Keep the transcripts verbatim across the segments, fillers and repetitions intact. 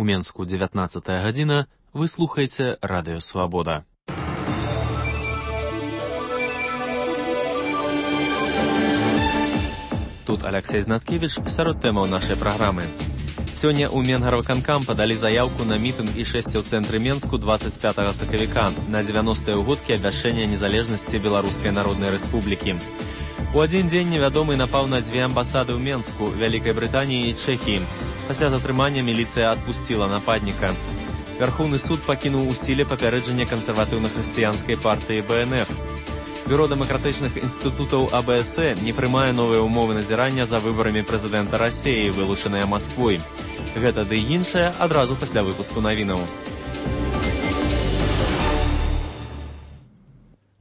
У Менску дзевятнаццатая гадзіна. Вы слухаеце Радыё Свабода. Тут Алексей Знаткевич сярод тэмаў нашай праграмы. Сёння ў Менгарвыканкам падалі заяўку на мітынг і шэсце ў цэнтры Менску дваццаць пятага сакавіка на дзевяностыя ўгодкі абвяшчэння незалежнасці Беларускай Народнай Рэспублікі. У адзін дзень невядомы напаў на дзве амбасады ў Менску, Вялікай Брытаніі і Чэхіі. Пасля затрымання міліцыя адпусціла нападніка. Вярхоўны суд пакінуў у сіле папярэджанне кансерватыўна-хрысціянскай партыі Бэ Эн Эф. Бюро дэмакратычных інстытутаў А Бэ Эс Э не прымае новыя ўмовы назірання за выбарамі прэзідэнта Расіі, вылучаныя Масквой. Гэта ды іншае адразу пасля выпуску навінаў.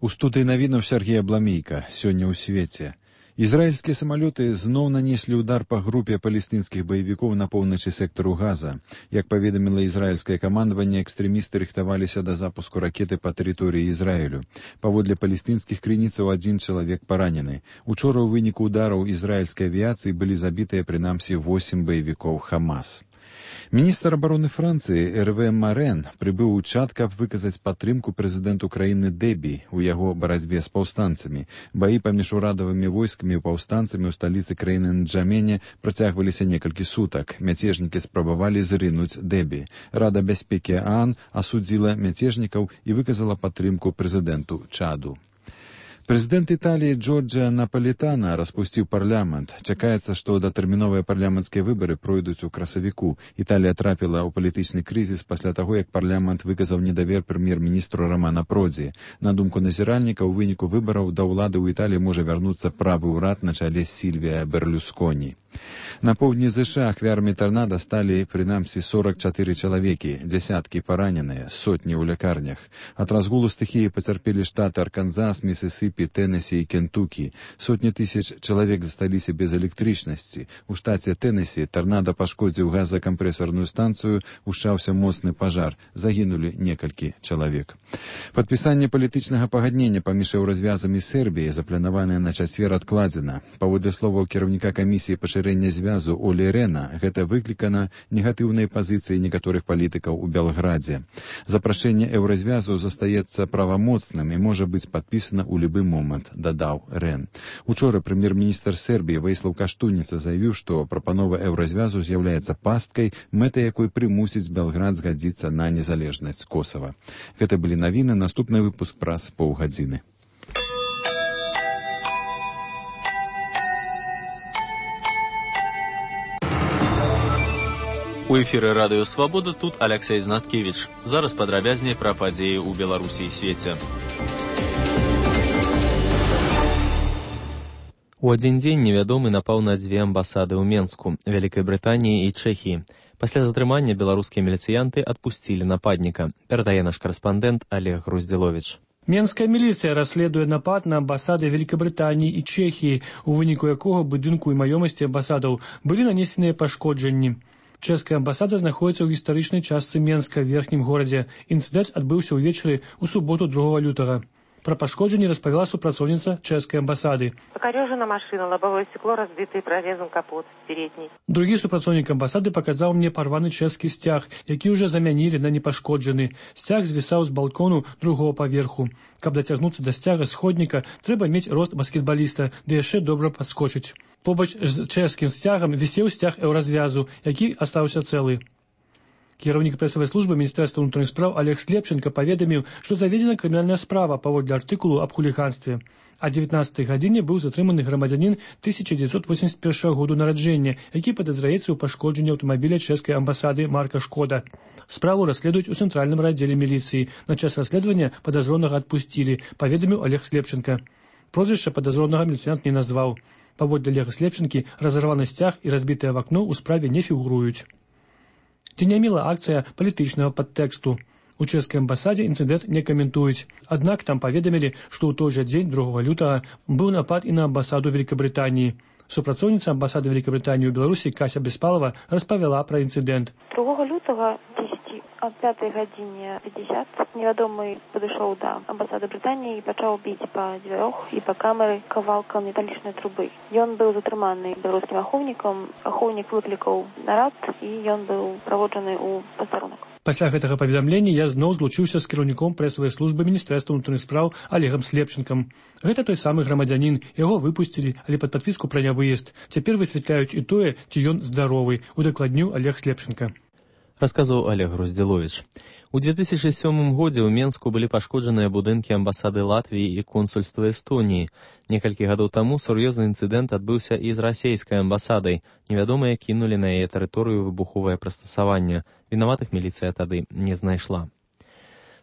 У студыі навінаў Сергей Абламейка. Сёння ў свеце. Ізраільскія самалёты зноў нанеслі ўдар па групе палестынскіх баевікоў на поўначы сектару Газа. Як паведаміла ізраільскае камандаванне, экстрэмісты рыхтаваліся да запуску ракеты па тэрыторыі Ізраілю. Паводле палестынскіх крыніцаў адзін чалавек паранены. Учора ў выніку ўдараў ізраільскай авіяцыі былі забітыя прынамсі восем баевікоў Хамас. Міністр абароны Францыі Эрве Марэн прыбыў у Чад, каб выказаць падтрымку прэзідэнту краіны Дэбі ў яго барацьбе з паўстанцамі. Баі паміж урадавымі войскамі і паўстанцамі ў сталіцы краіны Нджамене працягваліся некалькі сутак. Мяцежнікі спрабавалі зрынуць Дэбі. Рада бяспекі ААН асудзіла мяцежнікаў і выказала падтрымку прэзідэнту Чаду. Прэзідэнт Італіі Джорджа Напалітана распусціў парламент. Чакаецца, што датэрміновыя парламенцкія выбары пройдуць у красавіку. Італія трапіла ў палітычны крызіс пасля таго, як парламент выказаў недавер прэм'ер-міністру Рамана Продзі. На думку назіральніка, у выніку выбараў да ўлады ў Італіі можа вярнуцца правы ўрад на чале Сільвія Берлюсконі. На поўдні ЗША ахвярамі тарнада сталі прынамсі сорак чатыры чалавекі, дзясяткі параненыя, сотні ў лякарнях. Ад разгулу стыхіі пацярпелі штаты Арканзас, Місісіпі, Тэнесі і Кентукі. Сотні тысяч чалавек засталіся без электрычнасці. У штаце Тэнесі тарнада пашкодзіў газакампрэсарную станцыю, ушчаўся моцны пажар. Загінулі некалькі чалавек. Падпісанне палітычнага пагаднення паміж еўразвязамі Сербіі запланаванае на чацвер адкладзена. Паводле словаў кіраўніка камісіі пашырэння звязу Олі Рэна, гэта выклікана негатыўнай пазіцыяй некаторых палітыкаў у Белградзе. Запрашэнне еўразвязу застаецца правамоцным і можа быць падпісана ў любы момант, дадаў Рэн. Учора прэм'ер-міністр Сербіі Вейслаў Каштуніца заявіў, што прапанова еўразвязу з'яўляецца пасткай, мэтай якой прымусіць Белград згадзіцца на незалежнасць Косава. Гэта былі навіны, наступны выпуск праз паўгадзіны. У эфіры Радыё Свабода, тут Алексей Знаткевич. Зараз падрабязней пра падзеі ў Беларусі і свеце. У адзін дзень невядомы напаў на дзве амбасады ў Менску, Вялікай Брытаніі і Чэхіі. Пасля затрымання беларускія міліцыянты адпусцілі нападніка, перадае наш карэспандэнт Олег Груздзіловіч. Менская міліцыя расследуе напад на амбасады Вялікабрытаніі і Чэхіі, у выніку якога будынку і маёмасці амбасадаў былі нанесеныя пашкоджанні. Чэшская амбасада знаходзіцца ў гістарычнай частцы Менска, в верхнім горадзе. Інцыдэнт адбыўся ўвечары ў суботу другога лютага. Пра пашкоджанні распавяла супрацоўніца чэшскай амбасады. Пакарёжана машина, лобовое стекло разбито и прорезан капот передний. Другі супрацоўнік амбасады паказаў мне парваны чэшскі сцяг, які ўжо замянілі на непашкоджаны. Сцяг звісаў з балкону другого паверху. Каб дацягнуцца да сцяга сходніка, трэба мець рост баскетбаліста, ды яшчэ добра падскочыць. Побач з чэшскім сцягам вісеў сцяг еўразвязу, які астаўся цэлы. Кіраўнік прэсавай службы Міністэрства ўнутраных спраў Олег Слепченко паведаміў, што заведзена крымінальная справа паводле артыкулу аб хуліганстве. А дзевятнаццатай гадзіне быў затрыманы грамадзянін тысяча дзевяцьсот восемьдесят першага году нараджэння, які падазраецца ў пашкоджанні аўтамабіля чэшскай амбасады марка «Шкода». Справу расследуюць у цэнтральным раддзеле міліцыі. На час расследавання падазронага адпусцілі, паведаміў Олег Слепченко. Прозвішча падазронага міліцыянт не назваў. Паводле Олега Слепченкі, разарваны сцяг і разбітае вакно ў справе не фігуруюць. Ці не мела акцыя палітычнага падтэксту. У чэшскай амбасадзе інцыдэнт не каментуюць. Аднак там паведамілі, што ў той жа дзень другога лютага быў напад і на амбасаду Вялікабрытаніі. Супрацоўніца амбасады Вялікабрытаніі ў Беларусі Кася Беспалова распавяла пра інцыдэнт. другога лютага дзесяці О пятой гадзіне пятьдесят невядомы падышоў да амбасады Брытаніі і пачаў біць па дзвярох і па камеры кавалкам металічнай трубы. Ён быў затрыманы беларускім ахоўнікам, ахоўнік выклікаў нарад і ён быў праводжаны ў пастарунак. Пасля гэтага паведамлення я зноў злучыўся з кіраўніком прэсавай службы міністэрства ўнутраных спраў Олегам Слепчынкам. Гэта той самы грамадзянін, яго выпусцілі, але пад падпіску пра нявыезд. Цяпер высвятляюць і тое, ці ён здаровы, удакладніў Олег Слепчынка. Расказваў Олег Груздзіловіч. У две тысячи сёмым годзе ў Менску былі пашкоджаныя будынкі амбасады Латвіі і консульства Эстоніі. Некалькі гадоў таму сур'ёзны інцыдэнт адбыўся і з расейскай амбасадай. Невядомыя кінулі на яе тэрыторыю выбуховае прыстасаванне. Вінаватых міліцыя тады не знайшла.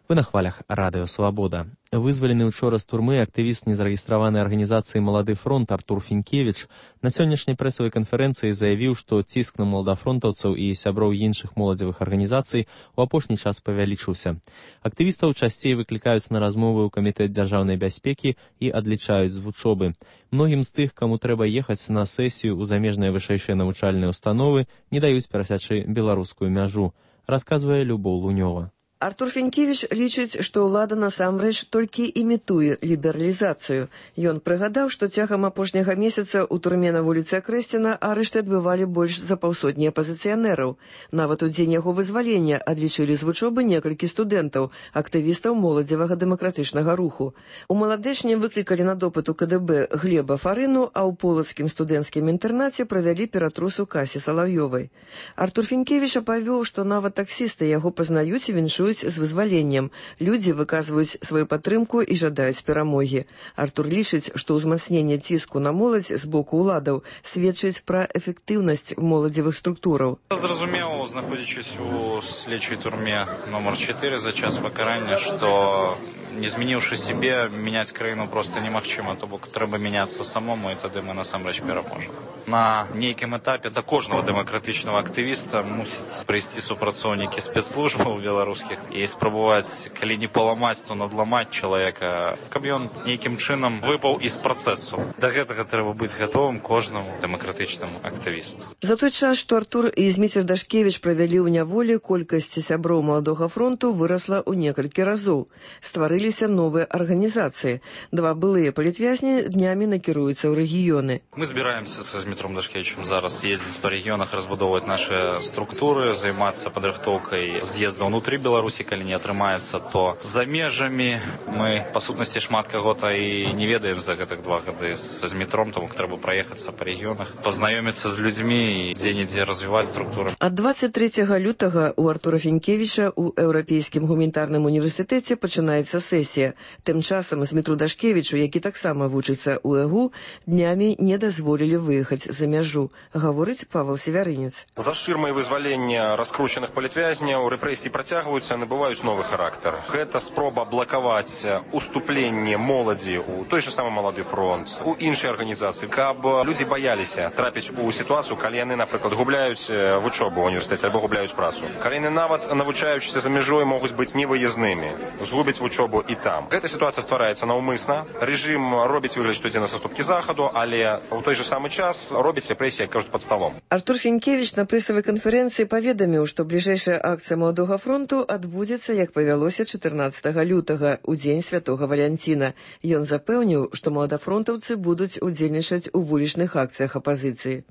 Вы на хвалях Радыё Свабода. Вызвалены учора з турмы актывіст незарэгістраванай арганізацыі «Малады фронт» Артур Фінкевіч на сённяшняй прэсавай канферэнцыі заявіў, што ціск на маладафронтаўцаў і сяброў іншых моладзевых арганізацый у апошні час павялічыўся. Актывістаў часцей выклікаюць на размовы ў камітэт дзяржаўнай бяспекі і адлічаюць з вучобы. Многім з тых, каму трэба ехаць на сесію ў замежныя вышэйшыя навучальныя установы, не даюць перасячы беларускую мяжу, расказвае Любоў Лунёва. Артур Фінкевіч лічыць, што ўлада насамрэч толькі імітуе лібералізацыю. Ён прыгадаў, што цягам апошняга месяца ў турме на вуліцы Акрэсціна арышты адбывалі больш за паўсотні апазіцыянераў. Нават у дзень яго вызвалення адлічылі з вучобы некалькі студэнтаў, актывістаў моладзевага дэмакратычнага руху. У Маладэчні выклікалі на допыт у ка дэ бэ Глеба Фарыну, а ў полацкім студэнцкім інтэрнаце правялі ператрус у Касі Салаўёвай. Артур Фінкевіч апавёў, што нават таксісты яго пазнаюць і віншуюць з вызваленнем. Людзі выказваюць сваю падтрымку і жадаюць перамогі. Артур лічыць, што ўзмацненне ціску на моладзь з боку ўладаў сведчыць пра эфектыўнасць моладзевых структураў. Зразумеў, знаходзячись у следчай турме номер чатыры за час пакарання, што не змяніўшы сябе, мяняць краіну проста немагчыма, то бок трэба мяняцца самому, і тады мы насамрэч пераможам. На нейкім этапе да кожнага дэмакратычнага актывіста мусіць прыйсці супрацоўнікі спецслужбаў беларускіх і спрабаваць, калі не паламаць, то надламаць чалавека, каб ён нейкім чынам выпаў з працэсу. Да гэтага трэба быць гатовым кожнаму дэмакратычнаму актывісту. За той час, што Артур і Зміцер Дашкевіч правялі ў няволі, колькасць сяброў Маладога фронту вырасла ў некалькі разоў. Стварыліся новыя арганізацыі. Два былыя палітвязні днямі накіруюцца ў рэгіёны. Мы збіраемся са Змітром Дашкевічем зараз ездзіць па рэгіёнах, разбудоўваць нашы структуры, займацца падрыхтоўкай з'езда ўнутры Беларусі, калі не атрымаецца, то за межамі. Мы, па сутнасці, шмат каго-то і не ведаем за гэтых два гады са Змітром, тому трэба праехацца па рэгіёнах, пазнаёміцца з людзьмі і дзе-нідзе развіваць структуры. Ад двадцять трэцяга лютага у Артура Фінкевіча ў Еўрапейскім гуманітарным універсітэце пачынаецца сесія. Тым часам Змітру Дашкевічу, які таксама вучыцца ў ЭГУ, днямі не дазволілі выехаць за мяжу, гаворыць Павел Севярынец. За шырмай вызвалення раскручаных палітвязняў рэпрэсіі працягваюцца, набываюць новы характар. Гэта спроба блакаваць уступленне моладзі ў той же самы Малады фронт, у іншыя арганізацыі, каб людзі баяліся трапіць у сітуацыю, калі яны, напрыклад, губляюць вучобу ў універсітэце альбо губляюць працу. Калі яны нават навучаючыся за мяжой могуць быць невыязнымі, згубяць вучобу і там. Гэта сітуацыя ствараецца наўмысна. Рэжым робіць выгляд, што ідзе на саступкі захаду, але ў той же самы час робіць рэпрэсіі, як кажуць, пад сталом. Артур Фінкевіч на прэсавай канферэнцыі паведаміў, што бліжэйшая акцыя Маладога фронту адбудзецца, як павялося, чатырнаццатага лютага, у дзень святога Валянціна. Ён запэўніў, што маладафронтаўцы будуць удзельнічаць у вулічных акцыях апазіцыі.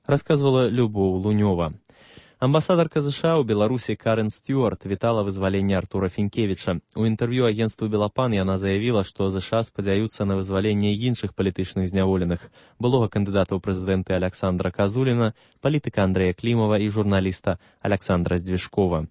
Расказвала Любоў Лунёва. Амбасадарка США ў Беларусі Карен Стюарт вітала вызваленне Артура Фінкевіча. У інтэрв'ю агенцтву «Белапан» яна заявіла, што США спадзяюцца на вызваленне іншых палітычных зняволеных, былога кандыдата ў прэзідэнты Аляксандра Казуліна, палітыка Андрэя Клімава і журналіста Аляксандра Здвижкова.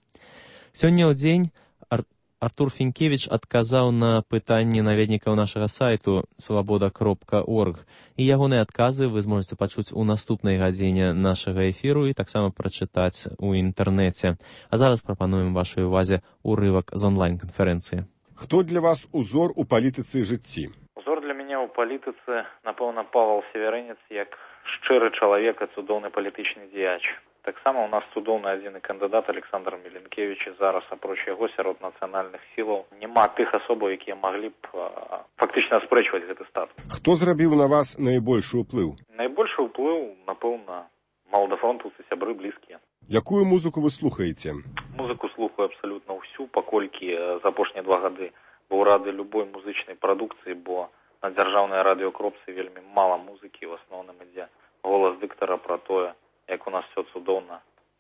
Сёння ў дзень Ар... Артур Фінкевіч адказаў на пытанні наведнікаў нашага сайту свабода кропка орг, і ягоныя адказы вы зможаце пачуць у наступнай гадзіне нашага эфіру і таксама прачытаць у інтэрнэце. А зараз прапануем вашай увазе урывак з онлайн-канферэнцыі. Хто для вас узор у палітыцы жыцці? Узор для мяне ў палітыцы, напэўна, Павел Севярынец, як шчыры чалавек і цудоўны палітычны дзеяч. Таксама у нас цудоўны адзіны кандыдат Александр Міленкевич, і зараз, апроч яго, сярод нацыянальных сілаў няма тых асобаў, якія маглі б а, фактычна аспрэчваць гэты статус. Хто зрабіў на вас найбольшы ўплыў? Найбольшы ўплыў, напэўна, маладафронтаўцы, сябры блізкія. Якую музыку вы слухаеце? Музыку слухаю абсалютна ўсю, паколькі за апошнія два гады быў рады любой музычнай прадукцыі, бо на дзяржаўнай радыёкропцы вельмі мала музыкі, в асноўным ідзе голас дыктара пра тое, як у нас все цудоўна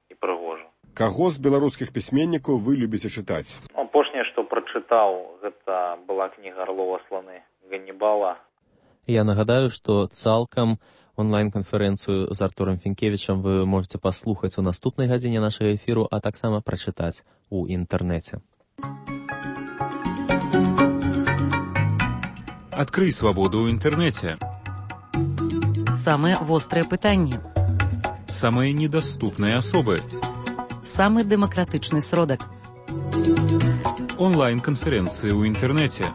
і прыгожа. Каго з беларускіх пісьменнікаў вы любіце чытаць? Апошняе, што прачытаў, гэта была кніга Арлова сланы Ганнібала. Я нагадаю, што цалкам онлайн-канферэнцыю з Артурам Фінкевічам вы можете паслухаць у наступнай гадзіне нашага эфіру, а таксама прачытаць у інтэрнэце. Адкрый свабоду ў інтэрнэце. Самыя вострыя пытанні. Самыя недаступныя асобы. Самы дэмакратычны сродак. Онлайн-канферэнцыі ў інтэрнэце.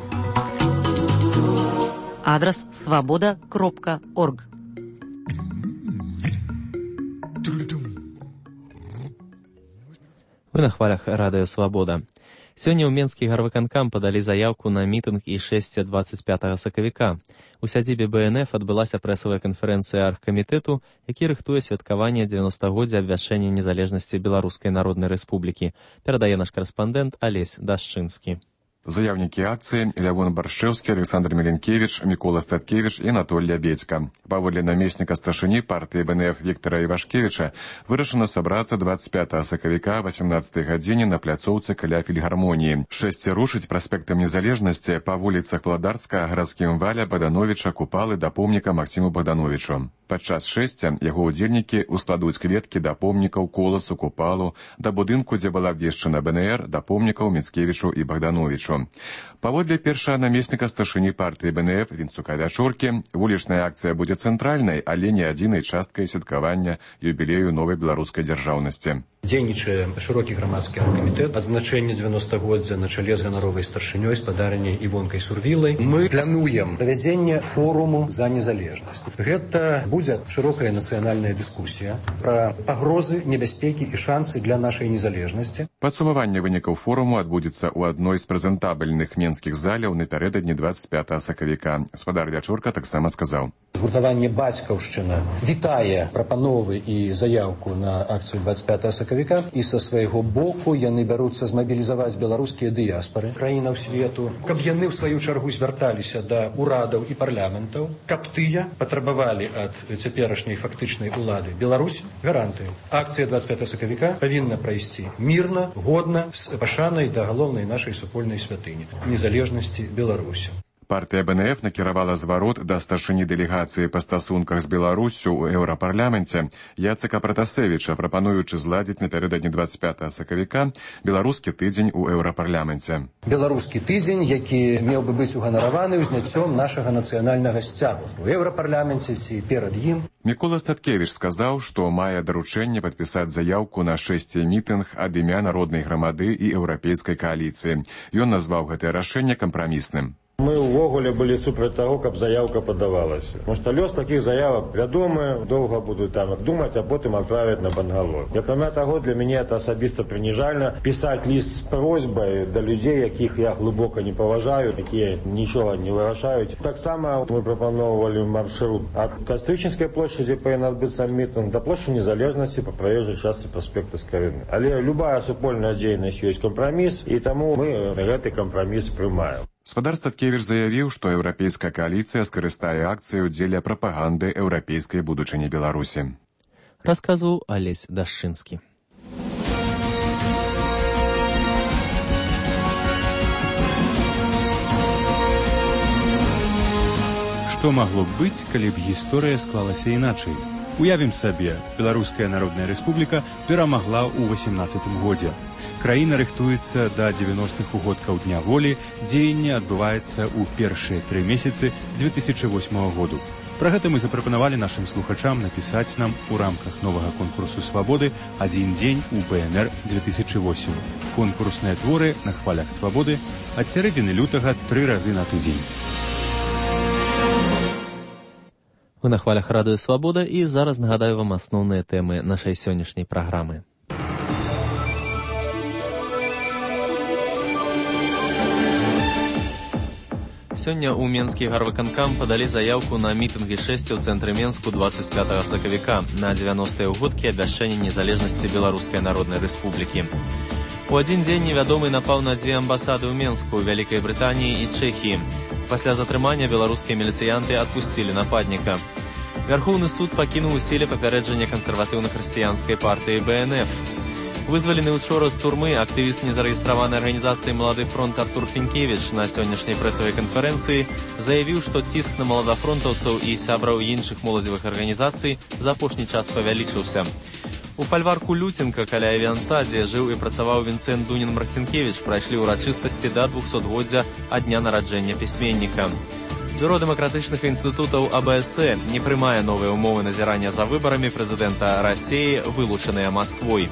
Адрас свабода кропка орг. Вы на хвалях радыё «Свабода». Сёння ў Менскі гарвыканкам падалі заяўку на мітынг і шэсце дваццаць пятага сакавіка. У сядзібе бэ эн эф адбылася прэсавая канферэнцыя аргкамітэту, які рыхтуе святкаванне дзевяностагоддзя абвяшчэння незалежнасці Беларускай Народнай Рэспублікі. Перадае наш карэспандэнт Алесь Дашчынскі. Заяўнікі акцыі Лявон Баршчэўскі, Александр Меленкевич, Мікола Статкевич і Анатолій Абедзька. Паводле намесніка старшыні партыі бэ эн эф Віктара Івашкевіча вырашана сабрацца дваццаць пятага сакавіка восемнадцатай гадзіне на пляцоўцы каля фільгармоніі. Шэсце рушыць праспектам незалежнасці па вуліцах Владарска, гарадскім валя, Богдановича, Купалы да помніка Максіму Богдановичу. Падчас шэсця яго ўдзельнікі ускладуць кветкі да помнікаў Коласу, Купалу, да будынку, дзе была абвешчана бэ эн эр, да помнікаў Міцкевічу і Богдановичу. Паводле першага намесніка старшыні партыі бэ эн эф Вінцука Вячоркі, вулічная акцыя будзе цэнтральнай, але не адзінай часткай святкавання юбілею новай беларускай дзяржаўнасці. Дзейнічае шырокі грамадскі аргкамітэт, адзначэнне дзевяностагоддзя на чале з ганаровай старшынёй, спадарняй Івонкай Сурвілай. Мы плануем правядзенне форуму за незалежнасць. Гэта будзе шырокая нацыянальная дыскусія пра пагрозы, небяспекі і шансы для нашай незалежнасці. Падсумаванне вынікаў форуму адбудзецца ў адной з прэзентабельных менскіх заляў напярэдадні дваццаць пятага сакавіка. Спадар Вячорка таксама сказаў. Згуртаванне «Бацькаўшчына» вітае прапановы і заяўку на акцыю дваццаць пятага сакавіка, і са свайго боку яны бяруцца змабілізаваць беларускія дыяспары краінаў свету, каб яны ў сваю чаргу звярталіся да ўрадаў і парламентаў, каб тыя патрабавалі ад цяперашняй фактычнай улады Беларусь гарантыю. Акцыя дваццаць пятага сакавіка павінна прайсці мірна, годна, з пашанай да галоўнай нашай супольнай святыні незалежнасці Беларусі. Партыя бэ эн эф накіравала зварот да старшыні дэлегацыі па стасунках з Беларуссю ў еўрапарламенце Яцека Пратасевіча, прапануючы зладзіць напярэдадні дваццаць пятага сакавіка беларускі тыдзень у еўрапарламенце. Беларускі тыдзень, які меў бы быць уганараваны ўзняццём нашага нацыянальнага сцягу у еўрапарламенце ці перад ім. Мікола Статкевич сказаў, што мае даручэнне падпісаць заяўку на шэсце мітынг ад імя народнай грамады і еўрапейскай кааліцыі. Ён назваў гэтае рашэнне кампрамісным. Мы ўвогуле былі супраць таго, каб заяўка падавалася. Тому што лёс такіх заявак вядомы, доўга будуць там думаць, а потым адправяць на бангалор. Акрамя таго, для мяне это асабіста прыніжальна пісаць ліст з просьбай да людзей, якіх я глыбока не паважаю, якія нічога не вырашаюць. Таксама мы прапаноўвалі маршрут ад Кастрычынскай плошчы, дзе павінен адбыцца мітынг, да плошчы незалежнасці па праезжай частцы праспекта Скарыны. Але любая супольная дзейнасць ёсць кампраміс, і таму мы гэты кампраміс прымаем. Спадар Статкевич заявіў, што еўрапейская кааліцыя скарыстае акцыю дзеля прапаганды еўрапейскай будучыні Беларусі. Расказваў Алесь Дашчынскі. Што магло б быць, калі б гісторыя склалася іначай? Уявім сабе, Беларуская Народная Рэспубліка перамагла ў васемнаццатым годзе. Краіна рыхтуецца да дзевяностых угодкаў Дня волі, дзеянне адбываецца ў першыя тры месяцы дзве тысячы восьмага году. Пра гэта мы запрапанавалі нашым слухачам напісаць нам у рамках новага конкурсу «Свабоды» «Адзін дзень у бэ эн эр две тысячи восемь». Конкурсныя творы на хвалях «Свабоды» ад сярэдзіны лютага тры разы на тыдзень. Вы на хвалях радыё «Свабода», і зараз нагадаю вам асноўныя тэмы нашай сённяшняй праграмы. Сёння ў Менскі гарвыканкам падалі заяўку на мітынгі шэсці ў цэнтры Менску двадцать пятага сакавіка на дзевяностыя ўгодкі абвяшчэння незалежнасці Беларускай Народнай Рэспублікі. У адзін дзень невядомы напаў на дзве амбасады ў Менску, Вялікай Брытаніі і Чэхіі. Пасля затрымання беларускія міліцыянты адпусцілі нападніка. Вярхоўны суд пакінуў у сіле папярэджанне кансерватыўна-хрысціянскай партыі бэ эн эф. Вызвалены учора з турмы актывіст незарэгістраванай арганізацыі «Малады фронт» Артур Фінкевіч на сённяшняй прэсавай канферэнцыі заявіў, што ціск на маладафронтаўцаў і сябраў іншых моладзевых арганізацый за апошні час павялічыўся. У фальварку Люценка каля Авіанца, дзе жыў і працаваў Вінцэнт Дунін-Марцінкевіч, прайшлі ўрачыстасці да двухсотгоддзя ад дня нараджэння пісьменніка. Бюро дэмакратычных інстытутаў а бэ эс э не прымае новыя ўмовы назірання за выбарамі прэзідэнта Расіі, вылучаныя Масквой.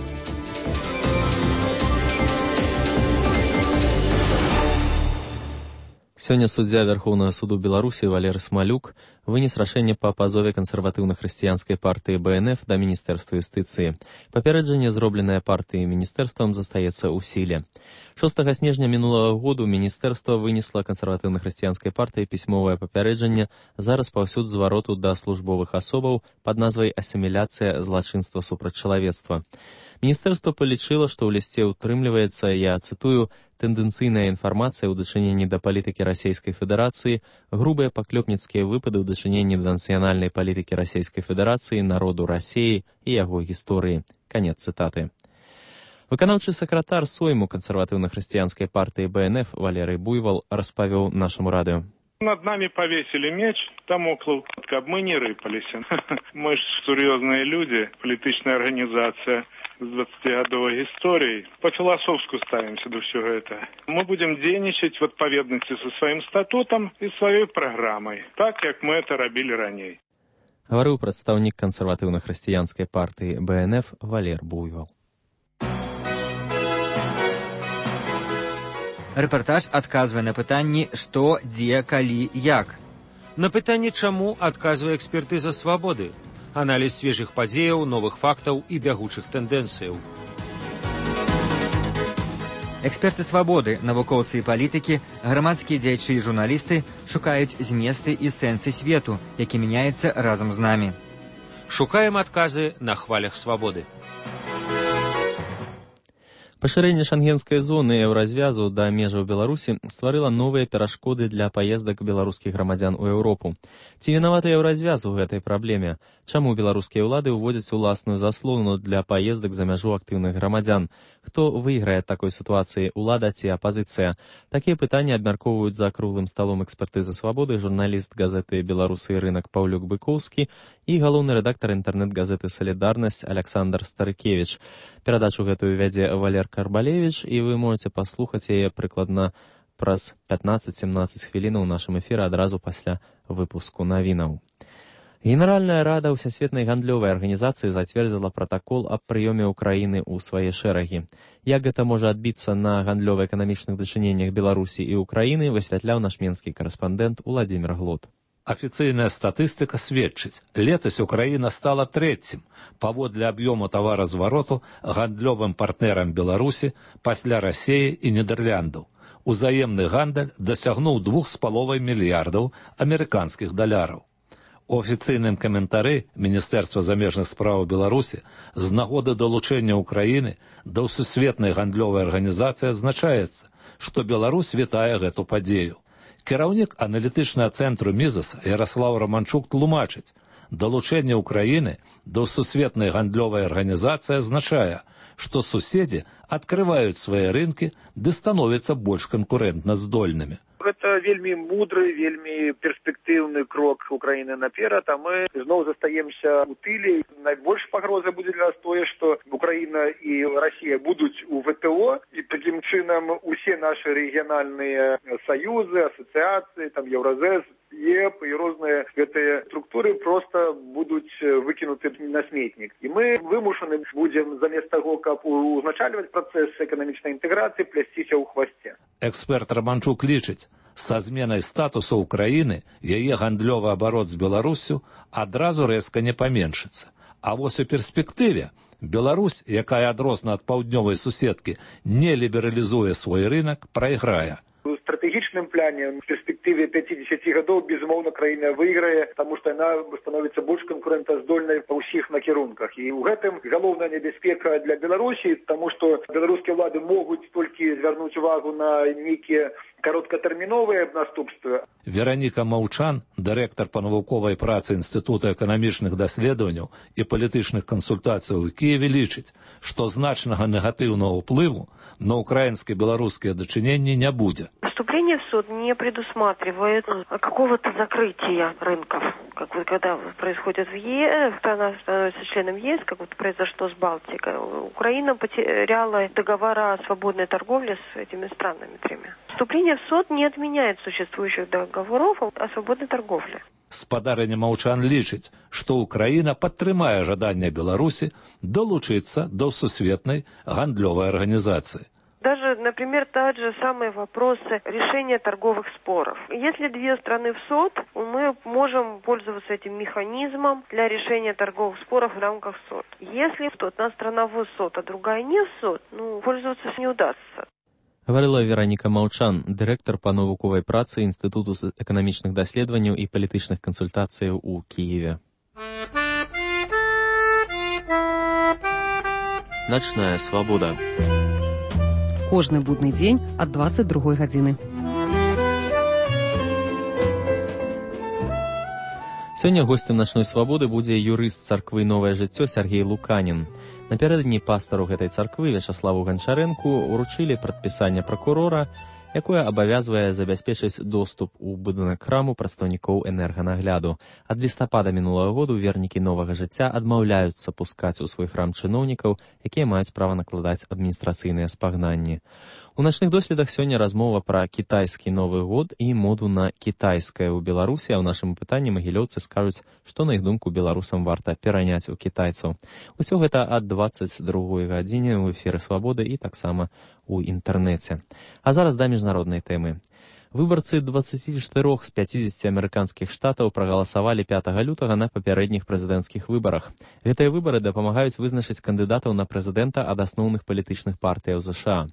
Сёння суддзя Вярхоўнага суду Беларусі Валерый Смалюк вынес рашэнне па пазове кансерватыўна-хрысціянскай партыі бэ эн эф да Міністэрства юстыцыі. Папярэджанне, зробленае партыяй і міністэрствам, застаецца ў сіле. шостага снежня мінулага году міністэрства вынесла кансерватыўна-хрысціянскай партыі пісьмовае папярэджанне за распаўсюд звароту да службовых асобаў пад назвай «Асіміляцыя злачынства супраць чалавецтва». Міністэрства палічыла, што ў лісце ўтрымліваецца, я цытую, тэндэнцыйная інфармацыя ў дачыненні да палітыкі Расійскай Федэрацыі, грубыя паклёпніцкія выпады ў дачыненні да нацыянальнай палітыкі Расійскай Федэрацыі, народу Расіі і яго гісторыі. Канец цытаты. Выканаўчы сакратар Сойму кансерватыўна-хрысціянскай партыі бэ эн эф Валерый Буйвол распавёў нашаму радыё. Над нами повесили меч, дамоклов, каб мы не рыпались. Мы ж серьезные люди, политичная организация с двадцатигодовой историей. По-философску ставимся до всего этого. Мы будем денежить в отповедности со своим статутом и своей программой, так, как мы это робили ранее. Говорил представник консервативно-христианской партии бэ эн эф Валер Буйвол. Рэпартаж адказвае на пытанні «Што, дзе, калі, як?». На пытанне «Чаму» адказвае экспертыза «Свабоды», аналіз свежых падзеяў, новых фактаў і бягучых тэндэнцыяў. Эксперты «Свабоды», навукоўцы і палітыкі, грамадскія дзеячы і журналісты шукаюць зместы і сэнсы свету, які мяняецца разам з намі. Шукаем адказы на хвалях «Свабоды». Пашырэнне шангенскай зоны еўразвязу да межаў Беларусі стварыла новыя перашкоды для паездак беларускіх грамадзян у Еўропу. Ці вінаваты еўразвяз у гэтай праблеме? Чаму беларускія ўлады ўводзяць уласную заслону для паездак за мяжу актыўных грамадзян? Хто выйграе ад такой сітуацыі, улада ці апазіцыя? Такія пытанні абмяркоўваюць за круглым сталом экспертызы «Свабоды» журналіст газеты «Беларусы і рынак» Паўлюк Быкоўскі і галоўны рэдактар інтэрнэт-газеты «Салідарнасць» Александр Старыкевіч. Перадачу гэтую вядзе Валер Карбалевіч, і вы можете паслухаць яе прыкладна праз пятнаццаць-семнаццаць хвілінаў у нашым эфіры адразу пасля выпуску навінаў. Генеральная рада Всесветнай гандлёвай арганізацыі зацвердзіла пратакол аб прыёме Украіны ў свае шэрагі. Як гэта можа адбіцца на гандлёва-эканамічных дачыненнях Беларусі і Украіны, высвятляў наш менскі карэспандэнт Уладзімір Глот. Афіцыйная статыстыка сведчыць, летась Украіна стала трэцім паводле аб'ёму таваразвароту гандлёвым партнерам Беларусі пасля Расіі і Нідэрляндаў. Узаемны гандаль дасягнуў двух з паловай мільярдаў амерыканскіх даляраў. У афіцыйным каментары Міністэрства замежных спраў Беларусі з нагоды далучэння Украіны да Всесветнай гандлёвай арганізацыі адзначаецца, што Беларусь вітае гэту падзею. Кіраўнік аналітычнага цэнтру Мізас Яраслаў Раманчук тлумачыць, далучэнне Украіны да Всесветнай гандлёвай арганізацыі азначае, што суседзі адкрываюць свае рынкі ды становяцца больш канкурэнтна здольнымі. Гэта вельмі мудры, вельмі перспектыўны крок Украіны наперад, а мы зноў застаемся ў тыле. Найбольш пагроза будзе для нас тое, што Украіна і Расія будуць у вэ тэ о, і такім чынам усе нашы рэгіянальныя саюзы, асацыяцыі, там Еўразэс, ЕП і розныя гэтыя структуры проста будуць выкінуты на сметнік. І мы вымушаны будзем замест таго, каб узначальваць працэс эканамічнай інтэграцыі, плясціся ў хвасце. Эксперт Раманчук лічыць, са зменай статусу Украіны яе гандлёвы абарот з Беларуссю адразу рэзка не паменшыцца. А вось у перспектыве Беларусь, якая адрозна ад паўднёвай суседкі, не лібералізуе свой рынак, прайграе. Стратэгічны палітычным пляне в перспектыве пяцідзесяці гадоў безумоўна краіна выйграе, таму што яна становіцца больш канкурэнтаздольнай па ўсіх накірунках. І ў гэтым галоўная небяспека для Беларусі, таму што беларускія ўлады могуць толькі звярнуць увагу на нейкія кароткатэрміновыя наступствы. Вераніка Маўчан, дырэктар па навуковай працы Інстытута эканамічных даследаванняў і палітычных кансультацый у Киеве, лічыць, што значнага негатыўнага ўплыву на украинско-белорусские дочинения не будет. Вступление в суд не предусматривает какого-то закрытия рынков. Как вот когда происходит в ЕС, страна становится членом ЕС, как вот произошло с Балтикой. Украина потеряла договора о свободной торговле с этими странами тремя. Вступление в суд не отменяет существующих договоров о свободной торговле. Спадарня Маўчан лічыць, што Украіна падтрымае жаданне Беларусі долучыцца до Всесветной гандлёвой организации. Даже, например, тот же самый вопрос решения торговых споров. Если две страны в СОТ, мы можем пользоваться этим механизмом для решения торговых споров в рамках СОТ. Если одна страна в СОТ, а другая не в СОТ, ну, пользоваться не удастся. Гаварыла Вераніка Маўчан, дырэктар па навуковай працы Інстытуту эканамічных даследаванняў і палітычных кансультацыяў у Киеве. Начная свабода. Кожны будны дзень ад дваццаць другой гадзіны. Сёння госцем начной свабоды будзе юрыст царквы «Новае жыццё» Сергей Луканін. Напярэдадні пастару гэтай царквы Вячаславу Ганчарэнку уручылі прадпісанне пракурора, якое абавязвае забяспечыць доступ у будынак храму прадстаўнікоў энерганагляду. Ад лістапада мінулага году вернікі «Новага жыцця» адмаўляюцца пускаць у свой храм чыноўнікаў, якія маюць права накладаць адміністрацыйныя спагнанні. У начных доследах сёння размова пра кітайскі Новы год і моду на кітайскае ў Беларусі, а ў нашым пытанні магілёўцы скажуць, што на іх думку беларусам варта пераняць у кітайцаў. Усё гэта ад дваццаць другой гадзіне ў эфіры «Свабоды» і таксама у інтэрнэце. А зараз да міжнароднай тэмы. Выбарцы дваццаці чатырох з пяцідзесяці амерыканскіх штатаў прагаласавалі пятага лютага на папярэдніх прэзідэнцкіх выбарах. Гэтыя выбары дапамагаюць вызначыць кандыдатаў на прэзідэнта ад асноўных палітычных партыяў ЗША.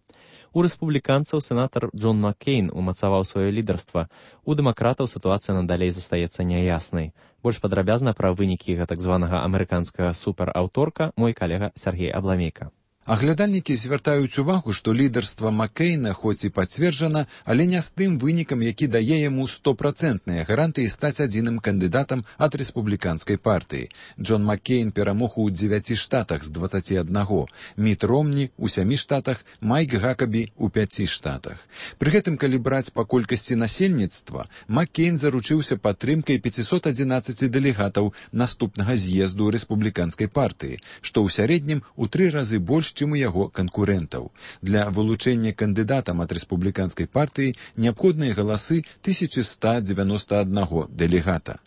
У рэспубліканцаў сенатар Джон Маккейн умацаваў сваё лідарства. У дэмакратаў сітуацыя надалей застаецца няяснай. Больш падрабязна пра вынікі гэтак званага амерыканскага супераўторка мой калега Сергей Абламейка. Аглядальнікі звяртаюць увагу, што лідарства Маккейна хоць і пацверджана, але не з тым вынікам, які дае яму стопрацэнтныя гарантыі стаць адзіным кандыдатам ад рэспубліканскай партыі. Джон Маккейн перамог у дзевяці штатах з дваццаці аднаго, Міт Ромні ў сямі штатах, Майк Гакабі ў пяці штатах. Пры гэтым, калі браць па колькасці насельніцтва, Маккейн заручыўся падтрымкай пяцісот адзінаццаці дэлегатаў наступнага з'езду рэспубліканскай партыі, што ў сярэднім у тры разы больш, чым у яго канкурэнтаў. Для вылучэння кандыдатам ад рэспубліканскай партыі неабходныя галасы тысяча сто дзевяносто аднаго дэлегата.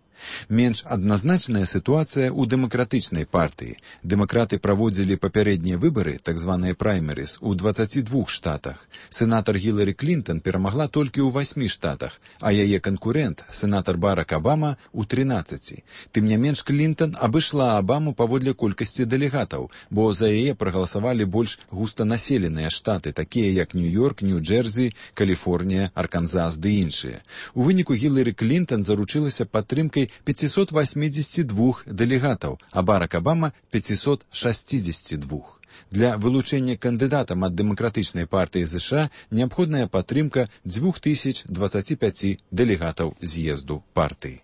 Менш адназначная сітуацыя ў дэмакратычнай партыі. Дэмакраты праводзілі папярэднія выбары, так званыя праймерыс, у дваццаці двух штатах. Сенатар Гіларі Клінтон перамагла толькі ў васьмі штатах, а яе канкурэнт, сенатар Барак Абама, у трынаццаці. Тым не менш, Клінтон абышла Абаму паводле колькасці дэлегатаў, бо за яе прагаласавалі больш густанаселеныя штаты, такія як Нью-Йорк, Нью-Джерсі, Каліфорнія, Арканзас ды іншыя. У выніку Гіларі Клінтон заручылася падтрымкай пятьсот восемьдесят два дэлегатаў, а Барак Абама пятьсот шестьдесят два. Для вылучэння кандыдатам ад дэмакратычнай партыі ЗША неабходная падтрымка двух тысяч дваццаці пяці дэлегатаў з'езду партыі.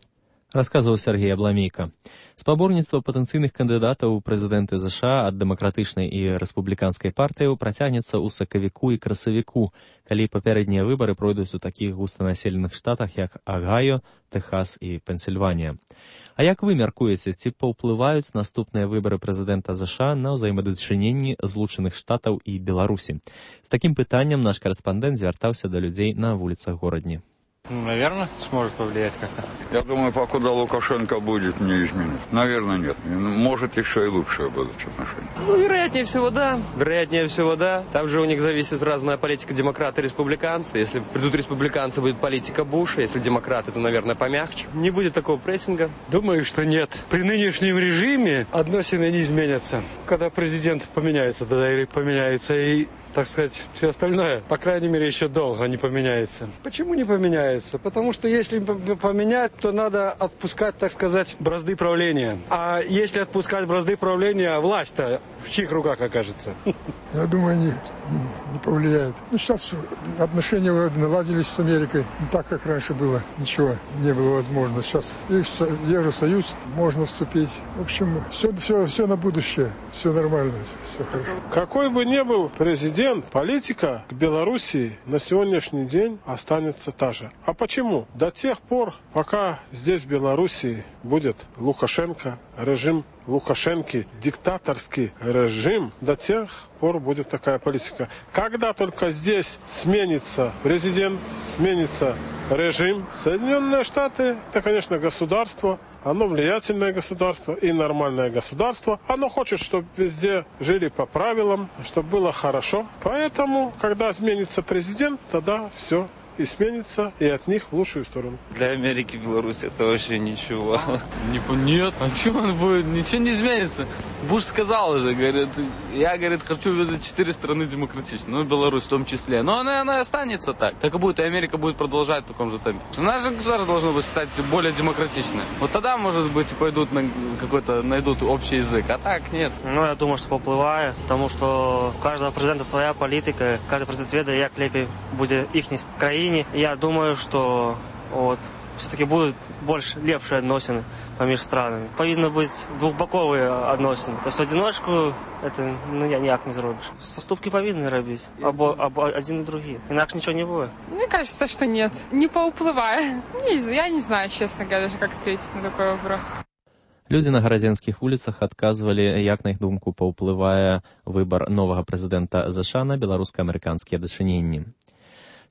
Расказваў Сергей Абламейка. Спаборніцтва патэнцыйных кандыдатаў у прэзідэнты ЗША ад дэмакратычнай і рэспубліканскай партыяў працягнецца ў сакавіку і красавіку, калі папярэднія выбары пройдуць у такіх густанаселеных штатах, як Агайо, Тэхас і Пенсільванія. А як вы мяркуеце, ці паўплываюць наступныя выбары прэзідэнта ЗША на ўзаемадачыненні Злучаных Штатаў і Беларусі? З такім пытаннем наш карэспандэнт звяртаўся да людзей на вуліцах горадні. Ну, наверное, сможет повлиять как-то. Я думаю, покуда Лукашенко будет, не изменится. Наверное, нет. Может, еще и лучшие будут отношения. Ну, вероятнее всего, да. Вероятнее всего, да. Там же у них зависит разная политика демократы и республиканцы. Если придут республиканцы, будет политика Буша. Если демократы, то, наверное, помягче. Не будет такого прессинга. Думаю, что нет. При нынешнем режиме отношения не изменятся. Когда президент поменяется, тогда и поменяются и так сказать, все остальное, по крайней мере, еще долго не поменяется. Почему не поменяется? Потому что если поменять, то надо отпускать, так сказать, бразды правления. А если отпускать бразды правления, власть-то в чьих руках окажется? Я думаю, нет, не повлияет. Ну, сейчас отношения наладились с Америкой. Не так, как раньше было. Ничего не было возможно. Сейчас есть Евросоюз, можно вступить. В общем, все, все, все на будущее. Все нормально, все хорошо. Какой бы ни был президент, политика к Белоруссии на сегодняшний день останется та же. А почему? До тех пор, пока здесь в Белоруссии будет Лукашенко, режим Лукашенки, диктаторский режим, до тех пор будет такая политика. Когда только здесь сменится президент, сменится режим, Соединенные Штаты, это, конечно, государство, оно влиятельное государство и нормальное государство. Оно хочет, чтобы везде жили по правилам, чтобы было хорошо. Поэтому, когда сменится президент, тогда все и сменится, и от них в лучшую сторону. Для Америки Беларусь это вообще ничего. Нет, а что он будет? Ничего не изменится. Буш сказал уже, говорит, я, говорит, хочу видеть четыре страны демократичные, ну, Беларусь в том числе. Но она, она останется так. Так и будет, и Америка будет продолжать в таком же темпе. Наше государство должно быть стать более демократичным. Вот тогда, может быть, пойдут на какой-то, найдут общий язык, а так нет. Ну, я думаю, что повпливає, потому что у каждого президента своя политика, каждый президент ведает, як лепей будет их краине. Я думаю, что вот, все-таки будут больше лепшие относины поміж странами. Повинно быть двухбоковые относины. То есть в одиночку это ну, ніяк не зробишь. Соступки повинны робить, або, або один и другие. Иначе ничего не будет. Мне кажется, что нет. Не поуплывая. Я не знаю, честно говоря, даже как ответить на такой вопрос. Людзі на гарадзенскіх вуліцах адказвалі, як на іх думку паўплывае выбар новага прэзідэнта ЗША на беларуска-амерыканскія дачыненні.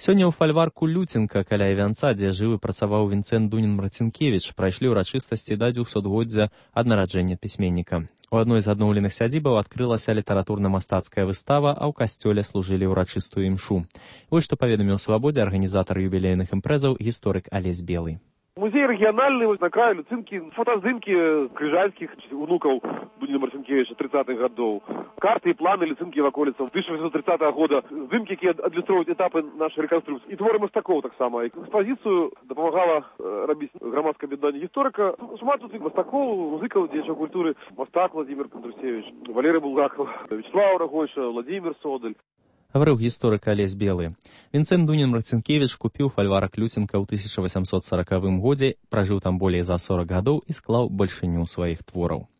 Сёння ў фальварку Люценка каля Івянца, дзе жыў і працаваў Вінцэнт Дунін-Марцінкевіч, прайшлі ўрачыстасці да двухсотгоддзя ад нараджэння пісьменніка. У адной з адноўленых сядзібаў адкрылася літаратурна-мастацкая выстава, а ў касцёле служылі ўрачыстую імшу. Вось што паведаміў «Свабодзе» арганізатар юбілейных імпрэзаў гісторык Алесь Белый. Музей региональный на краю Люцинки, фотоздымки крыжальских внуков Дунина Марцинкевича тридцатых годов, карты и планы Люцинки в околицах тысяча восемьсот тридцатого года, здымки, которые адлюструют этапы нашей реконструкции. И творы Мостакова так само. Экспозицию допомагала робить громадское объединение историка. Шмат тут Мостаков, музыков, дьячев культуры, Мостак Владимир Кондрусевич, Валерий Булгаков, Вячеслав Рогойша, Владимир Содель. Гаварыў гісторык Алесь Белы. Вінцэнт Дунін-Марцінкевіч купіў фальварак Люценка ў тысяча восемьсот сорокавым годзе, пражыў там болей за сорок гадоў і склаў бальшыню сваіх твораў.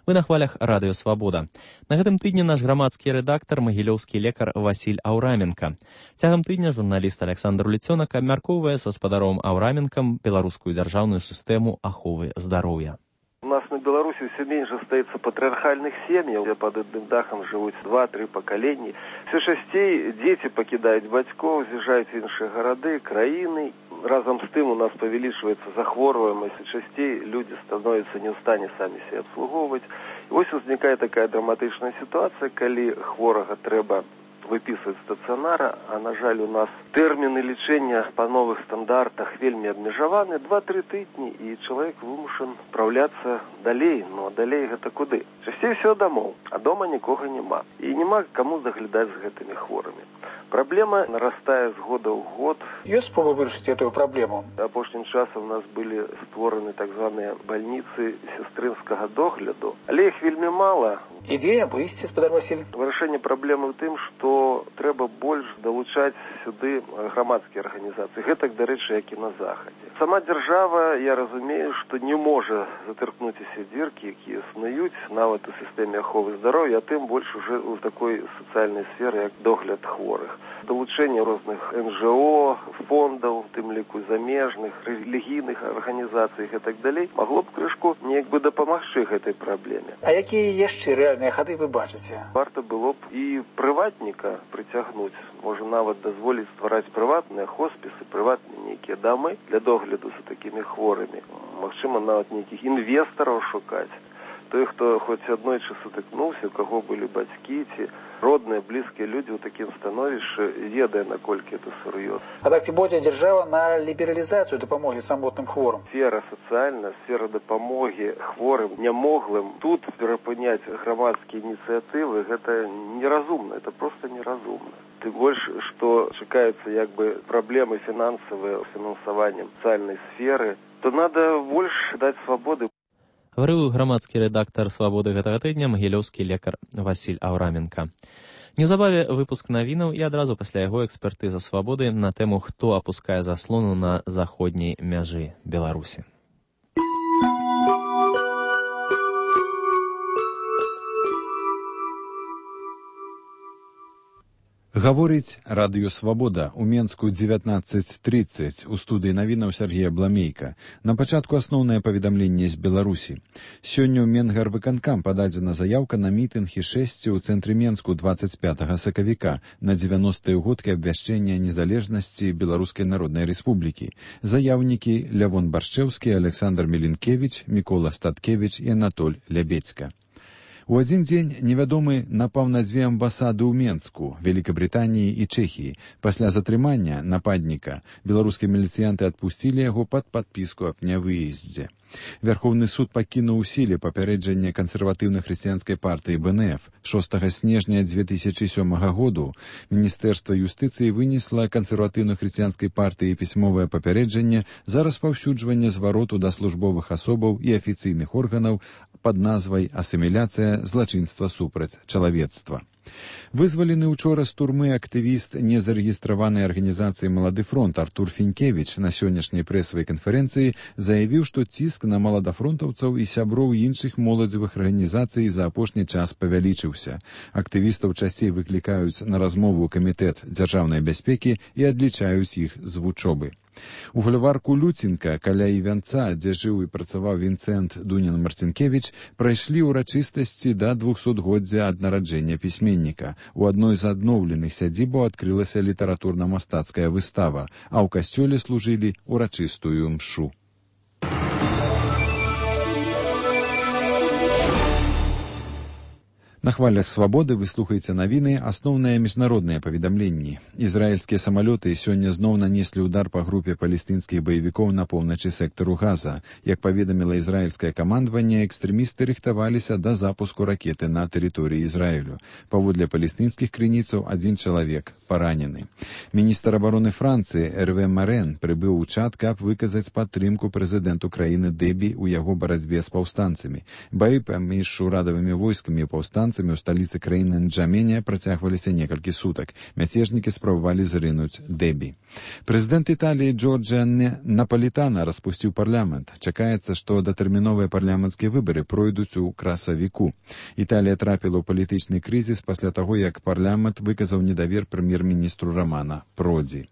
Вы на хвалях радыё «Свабода». На гэтым тыдні наш грамадскі рэдактар, магілёўскі лекар Васіль Аўраменка. Цягам тыдня журналіст Александр Ліцёнак абмяркоўвае са спадаром Аўраменкам беларускую дзяржаўную сістэму аховы здароўя. У нас на Беларуси все меньше остается патриархальных семей, где под одним дахом живут два-три поколения. Все часцей дети покидают батьков, з'їжджають в інші города, країни. Разом з тим у нас повеличивается захворюваність, і частей люди становятся не в стані самі себе обслуговувати. І ось возникає така драматична ситуація, коли хворого треба выписывать стационара, а на жаль у нас термины лечения по новых стандартах вельми обмежаваны, два-три тыдні, и человек вымушен правляться далей, но далей гэта куды? Часцей все домов, а дома никого нема. И нема кому заглядать с гэтыми хворыми. Проблема нарастает с года в год. Есть способ вырашить эту проблему? Апошнім часом у нас были створены так званые больницы сестринского догляду, але их вельми мало. Ідея вывести, спадар Василь. Вырашэнне праблемы ў тым, што трэба больш далучаць сюды грамадскія арганізацыі. Гэтак, дарэчы, як і на захадзе. Сама дзяржава, я разумею, што не можа затыркнуць усе дзіркі, якія існуюць нават у сістэме аховы здароўя, а тым больш уже ў такой сацыяльнай сферы, як догляд хворых. Далучэнне розных эн жэ о, фондаў, тым ліку замежных, рэлігійных арганізацый і так далей, магло б крышку неяк бы дапамагчы гэтай праблеме. А якія яшчэ рэальныя хады вы бачыце? Варта было б і прыватніка прыцягнуць, можа нават дазволіць ствараць прыватныя хоспісы, прыватныя нейкія дамы для догляду за такімі хворымі. Магчыма, нават нейкіх інвестараў шукаць. Той, хто хоць аднойчы сутыкнуўся, у каго былі бацькі ці родныя, блізкія людзі ў такім становішчы, ведае, наколькі это сур'ёзна. А так ці будзе дзяржава на лібералізацыю дапамогі самотным хворым? Сфера сацыяльная, сфера дапамогі хворым, нямоглым. Тут перапыняць грамадскія ініцыятывы, гэта неразумна, это просто неразумна. Тым больш, што чакаюцца як бы праблемы фінансавыя з фінансаваннем сацыяльнай сферы, то надо больш даць свабоды. Гаварыў грамадскі рэдактар «Свабоды» гэтага тыдня магілёўскі лекар Васіль Аўраменка. Неўзабаве выпуск навінаў і адразу пасля яго экспертыза «Свабоды» на тэму, хто апускае заслону на заходняй мяжы Беларусі. Гаворыць радыё «Свабода» у Менску дзевятнаццаць трыццаць у студыі навінаў Сергея Бламейка. На пачатку асноўнае паведамленне з Беларусі. Сёння ў Менгарвыканкам пададзена заяўка на мітынг і шэсце ў цэнтры Менску дваццаць пятага сакавіка на дзевяностыя ўгодкі абвяшчэння незалежнасці Беларускай Народнай Рэспублікі. Заяўнікі Лявон Баршчэўскі, Александр Мілінкевіч, Мікола Статкевіч і Анатоль Лябецька. У адзін дзень невядомы напаў на дзве амбасады ў Менску, Великабрытаніі і Чэхіі. Пасля затрымання нападніка беларускія міліцыянты адпусцілі яго пад падпіску аб нявыездзе. Вярхоўны суд пакінуў у сіле папярэджанне кансерватыўна-хрысціянскай партыі бэ эн эф. шостага снежня дзве тысячы сёмага году Міністэрства юстыцыі вынесла кансерватыўна-хрысціянскай партыі пісьмовае папярэджанне за распаўсюджванне звароту да службовых асобаў і афіцыйных органаў пад назвай «Асіміляцыя злачынства супраць чалавецтва». Вызвалены учора з турмы актывіст незарэгістраванай арганізацыі «Малады фронт» Артур Фінкевіч на сённяшняй прэсавай канферэнцыі заявіў, што ціск на маладафронтаўцаў і сяброў іншых моладзевых арганізацый за апошні час павялічыўся. Актывістаў часцей выклікаюць на размову ў камітэт дзяржаўнай бяспекі і адлічаюць іх з вучобы. У фальварку Люцінка, каля івянца, дзе жыў і працаваў Вінцэнт Дунін-Марцінкевіч, прайшлі ўрачыстасці да двухсотгоддзя ад нараджэння пісьменніка. У адной з адноўленых сядзібаў адкрылася літаратурна-мастацкая выстава, а ў касцёле служылі ўрачыстую мшу. На хвалях «Свабоды» вы слухаеце навіны, асноўныя міжнародныя паведамленні. Ізраільскія самалёты сёння зноў нанеслі ўдар па групе палестынскіх баевікоў на поўначы сектару Газа. Як паведаміла ізраільскае камандаванне, экстрэмісты рыхтаваліся да запуску ракеты на тэрыторыі Ізраілю. Паводле палестынскіх крыніцаў, адзін чалавек паранены. Міністр абароны Францыі Эрве Марен прыбыў у Чад, каб выказаць падтрымку прэзідэнту краіны Дэбі ў яго барацьбе з паўстанцамі. Баі паміж урадавымі войскамі і паўстанцамі у сталіцы краіны Нджамене працягваліся некалькі сутак. Мяцежнікі спрабавалі зрынуць Дэбі. Прэзідэнт Італіі Джорджа Напалітана распусціў парламент. Чакаецца, што датэрміновыя парламенцкія выбары пройдуць у красавіку. Італія трапіла ў палітычны крызіс пасля таго, як парламент выказаў недавер прэм'ер-міністру Рамана Продзі.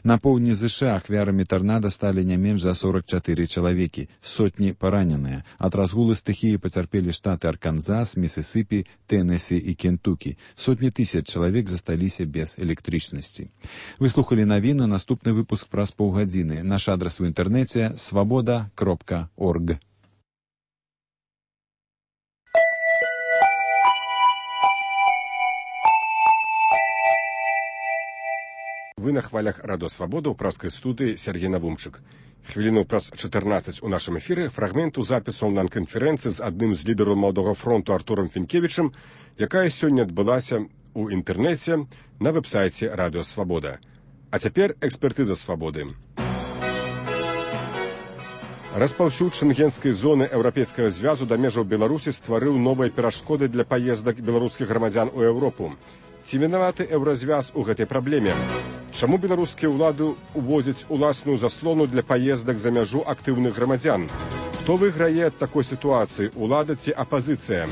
На поўдні ЗША ахвярамі тарнада сталі не менш за сорак чатыры чалавекі, сотні параненыя. Ад разгулу стыхіі пацярпелі штаты Арканзас, Місісіпі, Тэннесі і Кентукі. Сотні тысяч чалавек засталіся без электрычнасці. Вы слухалі навіны, наступны выпуск праз паўгадзіны. Наш адрас у інтэрнэце свабода кропка орг. Вы на хвалях радыё «Свабода» ў праскай студыі Сергей Навумчык. Хвіліну праз чатырнаццаць у нашым эфіры фрагменту запісу онлайн-канферэнцыі з адным з лідараў Маладога фронту Артурам Фінкевічам, якая сёння адбылася ў інтэрнэце на вэб-сайце радыё «Свабода». А цяпер экспертыза «Свабоды». Распаўсюд шэнгенскай зоны Еўрапейскага звязу да межаў Беларусі стварыў новыя перашкоды для паездак беларускіх грамадзян у Еўропу. Ці вінаваты еўразвяз у гэтай праблеме? Чаму беларускія ўлады увозяць уласную заслону для паездак за мяжу актыўных грамадзян? Хто выйграе ад такой сітуацыі, улада ці апазіцыя?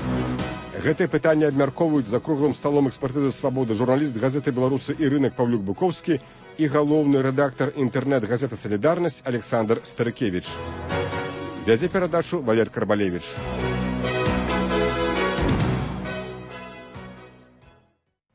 Гэтыя пытанні абмяркоўваюць за круглым сталом экспертызы «Свабоды» журналіст газеты «Беларусы» і рынак Паўлюк Буковскі і галоўны рэдактар інтэрнэт-газеты «Салідарнасць» Александр Старыкевіч. Вядзе перадачу Валер Карбалевіч.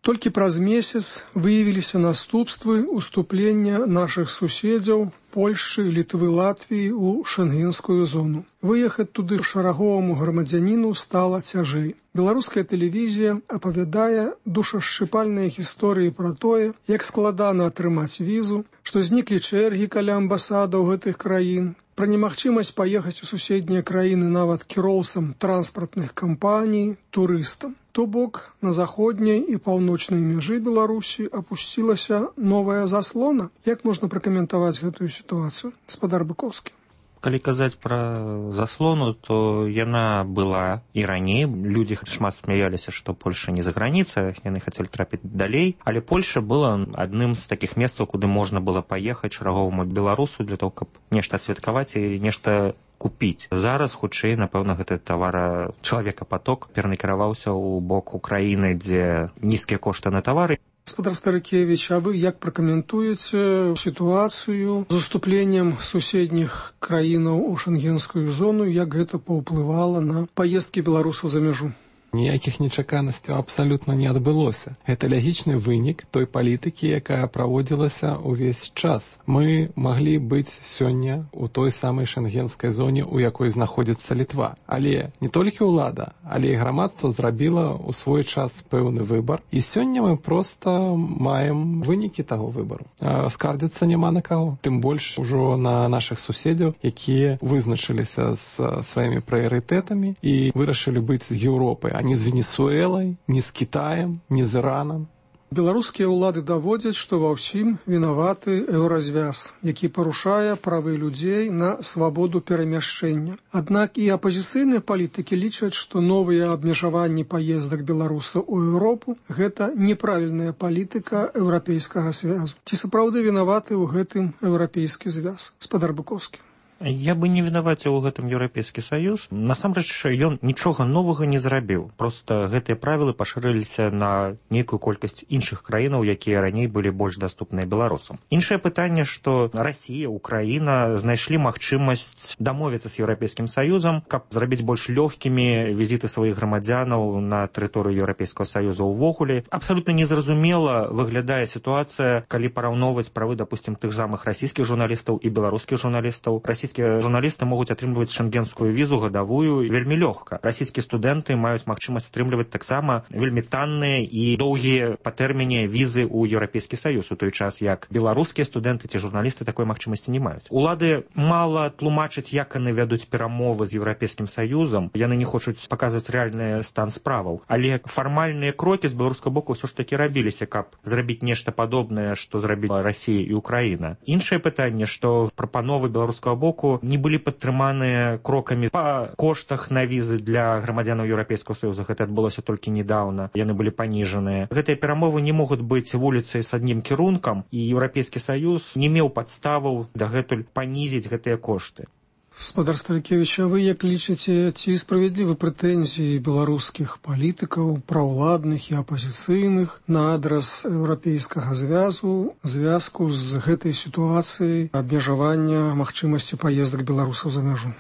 Толькі праз месяц выявіліся наступствы уступлення нашых суседзяў Польшчы, Літвы, Латвіі ў шэнгенскую зону. Выехаць туды шараговаму грамадзяніну стала цяжэй. Беларуская тэлевізія апавядае душашчыпальныя гісторыі пра тое, як складана атрымаць візу, што зніклі чэргі каля амбасадаў гэтых краін, пра немагчымасць паехаць у суседнія краіны нават кіроўцам транспартных кампаній, турыстам. То бок на заходняй і паўночнай мяжы Беларусі апусцілася новая заслона. Як можна пракаментаваць гэтую сітуацыю, гаспадар Быкоўскі? Калі казаць пра заслону, то яна была і раней. Людзі шмат смяяліся, што Польша не за граніца, яны хацелі трапіць далей. Але Польша была адным з такіх месцаў, куды можна было паехаць чарговаму беларусу для того, каб нешта адсвяткаваць і нешта купіць. Зараз, хутчэй, напэўна, гэты тавара чалавекапаток перанакіраваўся ў бок Украіны, дзе нізкія кошты на тавары. Гаспадар Старыкевіч, а вы як пракаментуеце сітуацыю з уступленнем суседніх краінаў у шэнгенскую зону, як гэта паўплывала на паездкі беларусаў за мяжу? Ніякіх нечаканасцяў абсалютна не адбылося. Гэта лагічны вынік той палітыкі, якая праводзілася ўвесь час. Мы маглі быць сёння ў той самай шэнгенскай зоне, у якой знаходзіцца Літва. Але не толькі ўлада, але і грамадства зрабіла ў свой час пэўны выбар. І сёння мы проста маем вынікі таго выбару. Скардзіцца няма на каго. Тым больш ужо на нашых суседзяў, якія вызначыліся з сваімі прыярытэтамі і вырашылі быць з Еўропай, ні з Венесуэлай, ні з Кітаем, ні з Іранам. Беларускія ўлады даводзяць, што ва ўсім вінаваты еўразвяз, які парушае правы людзей на свабоду перамяшчэння. Аднак і апазіцыйныя палітыкі лічаць, што новыя абмежаванні паездак беларусаў у Еўропу – гэта неправільная палітыка еўрапейскага звязу. Ці сапраўды вінаваты ў гэтым еўрапейскі звяз? Гаспадар Быкоўскі. Я бы не вінаваціў у гэтым Еўрапейскі Саюз. Насамрэч, ён нічога новага не зрабіў. Проста гэтыя правілы пашырыліся на нейкую колькасць іншых краінаў, якія раней былі больш даступныя беларусам. Іншае пытанне, што Расія, Украіна знайшлі магчымасць дамовіцца з Еўрапейскім Саюзам, каб зрабіць больш лёгкімі візіты сваіх грамадзянаў на тэрыторыю Еўрапейскага Саюза ўвогуле. Абсалютна незразумела выглядае сітуацыя, калі параўноўваць правы, дапусцім, тых самых расійскіх журналістаў і беларускіх журналістаў. Расійскія журналісты могуць атрымліваць шэнгенскую візу гадавую вельмі лёгка. Расійскія студэнты маюць магчымасць атрымліваць таксама вельмі танныя і доўгія па тэрміне візы ў Еўрапейскі Саюз, у той час як беларускія студэнты ці журналісты такой магчымасці не маюць. Улады мала тлумачаць, як яны вядуць перамовы з Еўрапейскім Саюзам. Яны не хочуць паказваць рэальны стан справаў. Але фармальныя крокі з беларускага боку ўсё ж такі рабіліся, каб зрабіць нешта падобнае, што зрабіла Расія і Украіна. Іншае пытанне, што прапановы беларускага боку не былі падтрыманыя крокамі па коштах на візы для грамадзянаў Еўрапейскага Саюза. Гэта адбылося толькі недаўна. Яны былі паніжаныя. Гэтыя перамовы не могуць быць вуліцай з адным кірункам, і Еўрапейскі Саюз не меў падставаў дагэтуль панізіць гэтыя кошты. Гаспадар Старыкевіч, а вы як лічыце, ці справядлівы прэтэнзіі беларускіх палітыкаў, праўладных і апазіцыйных на адрас еўрапейскага звязу, звязку з гэтай сітуацыяй абмежавання магчымасці паездак беларусаў за мяжу?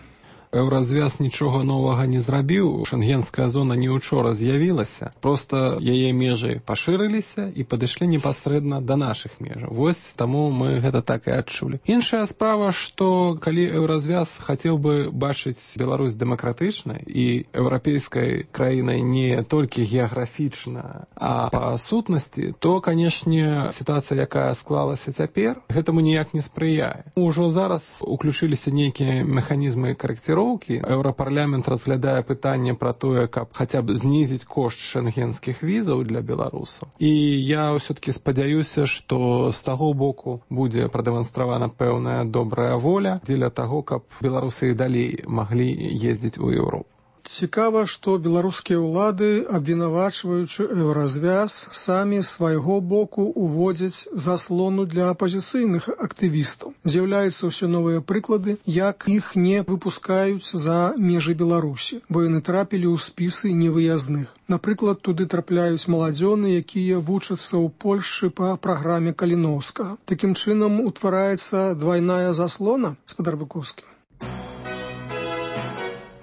Еўразвяз нічога новага не зрабіў. Шэнгенская зона не учора з'явілася. Проста яе межы пашырыліся і падышлі непасрэдна да нашых межаў. Вось таму мы гэта так і адчулі. Іншая справа, што калі еўразвяз хацеў бы бачыць Беларусь дэмакратычнай і еўрапейскай краінай не толькі геаграфічна, а па сутнасці, то, канешне, сітуацыя, якая склалася цяпер, гэтаму ніяк не спрыяе. Ужо зараз уключыліся нейкія механізмы карэкціроўкі. Еўрапарламент разглядае пытанне пра тое, каб хаця б знізіць кошт шэнгенскіх візаў для беларусаў. І я ўсё-такі спадзяюся, што з таго боку будзе прадэманстравана пэўная добрая воля дзеля таго, каб беларусы і далей маглі ездзіць у Еўропу. Цікава, што беларускія ўлады, абвінавачваючы еўразвяз, самі з свайго боку уводзяць заслону для апазіцыйных актывістаў. З'яўляюцца ўсе новыя прыклады, як іх не выпускаюць за межы Беларусі, бо яны трапілі ў спісы невыязных. Напрыклад, туды трапляюць маладзёны, якія вучацца ў Польшчы па праграме Каліноўскага. Такім чынам утвараецца двайная заслона, гаспадар Быкоўскі.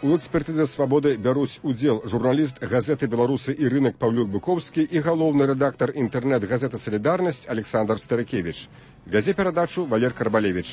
У экспертызе «Свабоды» бяруць удзел журналіст газеты «Беларусы і рынок» Паўлюк Буковскі і галоўны рэдактар інтэрнэт-газеты «Салідарнасць» Александр Старыкевич. Вядзе перадачу Валер Карбалевич.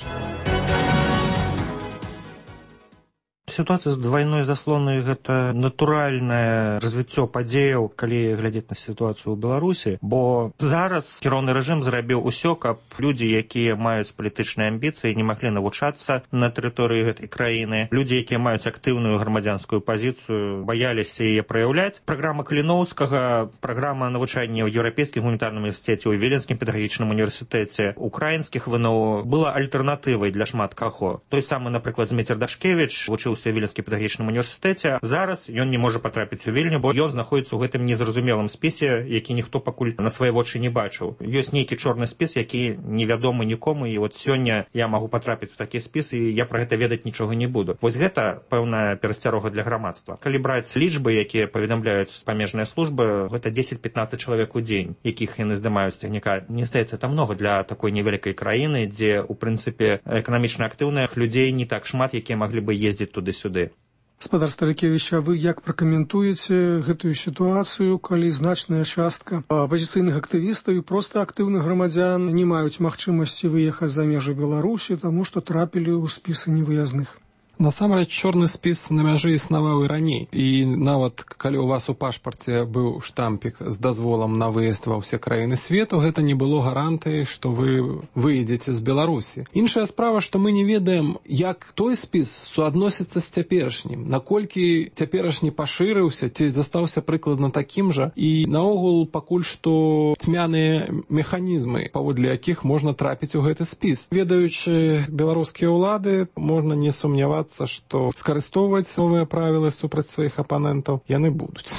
Сітуацыя з двайной заслонай – гэта натуральнае развіццё падзеяў, калі глядзець на сітуацыю ў Беларусі, бо зараз кіроўны рэжым зрабіў усё, каб людзі, якія маюць палітычныя амбіцыі, не маглі навучацца на тэрыторыі гэтай краіны. Людзі, якія маюць актыўную грамадзянскую пазіцыю, баяліся яе праяўляць. Праграма Каліноўскага, праграма навучання ў Еўрапейскім гуманітарным універсітэце, ў Віленскім педагагічным універсітэце, украінскіх ВНО была альтэрнатывай для шмат каго. Той самы, напрыклад, Зміцер Дашкевіч вучыўся ў Віленскім педагагічным універсітэце. Зараз ён не можа патрапіць у Вільню, бо ён знаходзіцца ў гэтым незразумелым спісе, які ніхто пакуль на свае вочы не бачыў. Ёсць нейкі чорны спіс, які невядомы нікому, і от сёння я магу патрапіць у такі спіс, і я пра гэта ведаць нічога не буду. Вось гэта пэўная перасцярога для грамадства. Калі браць лічбы, якія паведамляюць памежныя службы, гэта дзесяць-пятнаццаць чалавек у дзень, якіх яны здымаюць з цягніка. Мне здаецца, это многа для такой невялікай краіны, дзе, у прынцыпе, эканамічна актыўных людзей не так шмат, якія маглі бы ездзіць туды-сюды. Гаспадар Старыкевіч, а вы як пракаментуеце гэтую сітуацыю, калі значная частка апазіцыйных актывістаў і проста актыўных грамадзян не маюць магчымасці выехаць за межы Беларусі, таму што трапілі ў спісы невыязных? Насамрэч, чорны спіс на мяжы існаваў і раней. І нават калі у вас у пашпарце быў штампік з дазволам на выезд ва ўсе краіны свету, гэта не было гарантыяй, што вы выедзеце з Беларусі. Іншая справа, што мы не ведаем, як той спіс суадносіцца з цяперашнім, наколькі цяперашні пашырыўся, ці застаўся прыкладна такім жа, і наогул пакуль што цьмяныя механізмы, паводле якіх можна трапіць у гэты спіс. Ведаючы беларускія ўлады, можна не сумнявацца, што скарыстоўваць новыя правілы супраць сваіх апанентаў яны будуць.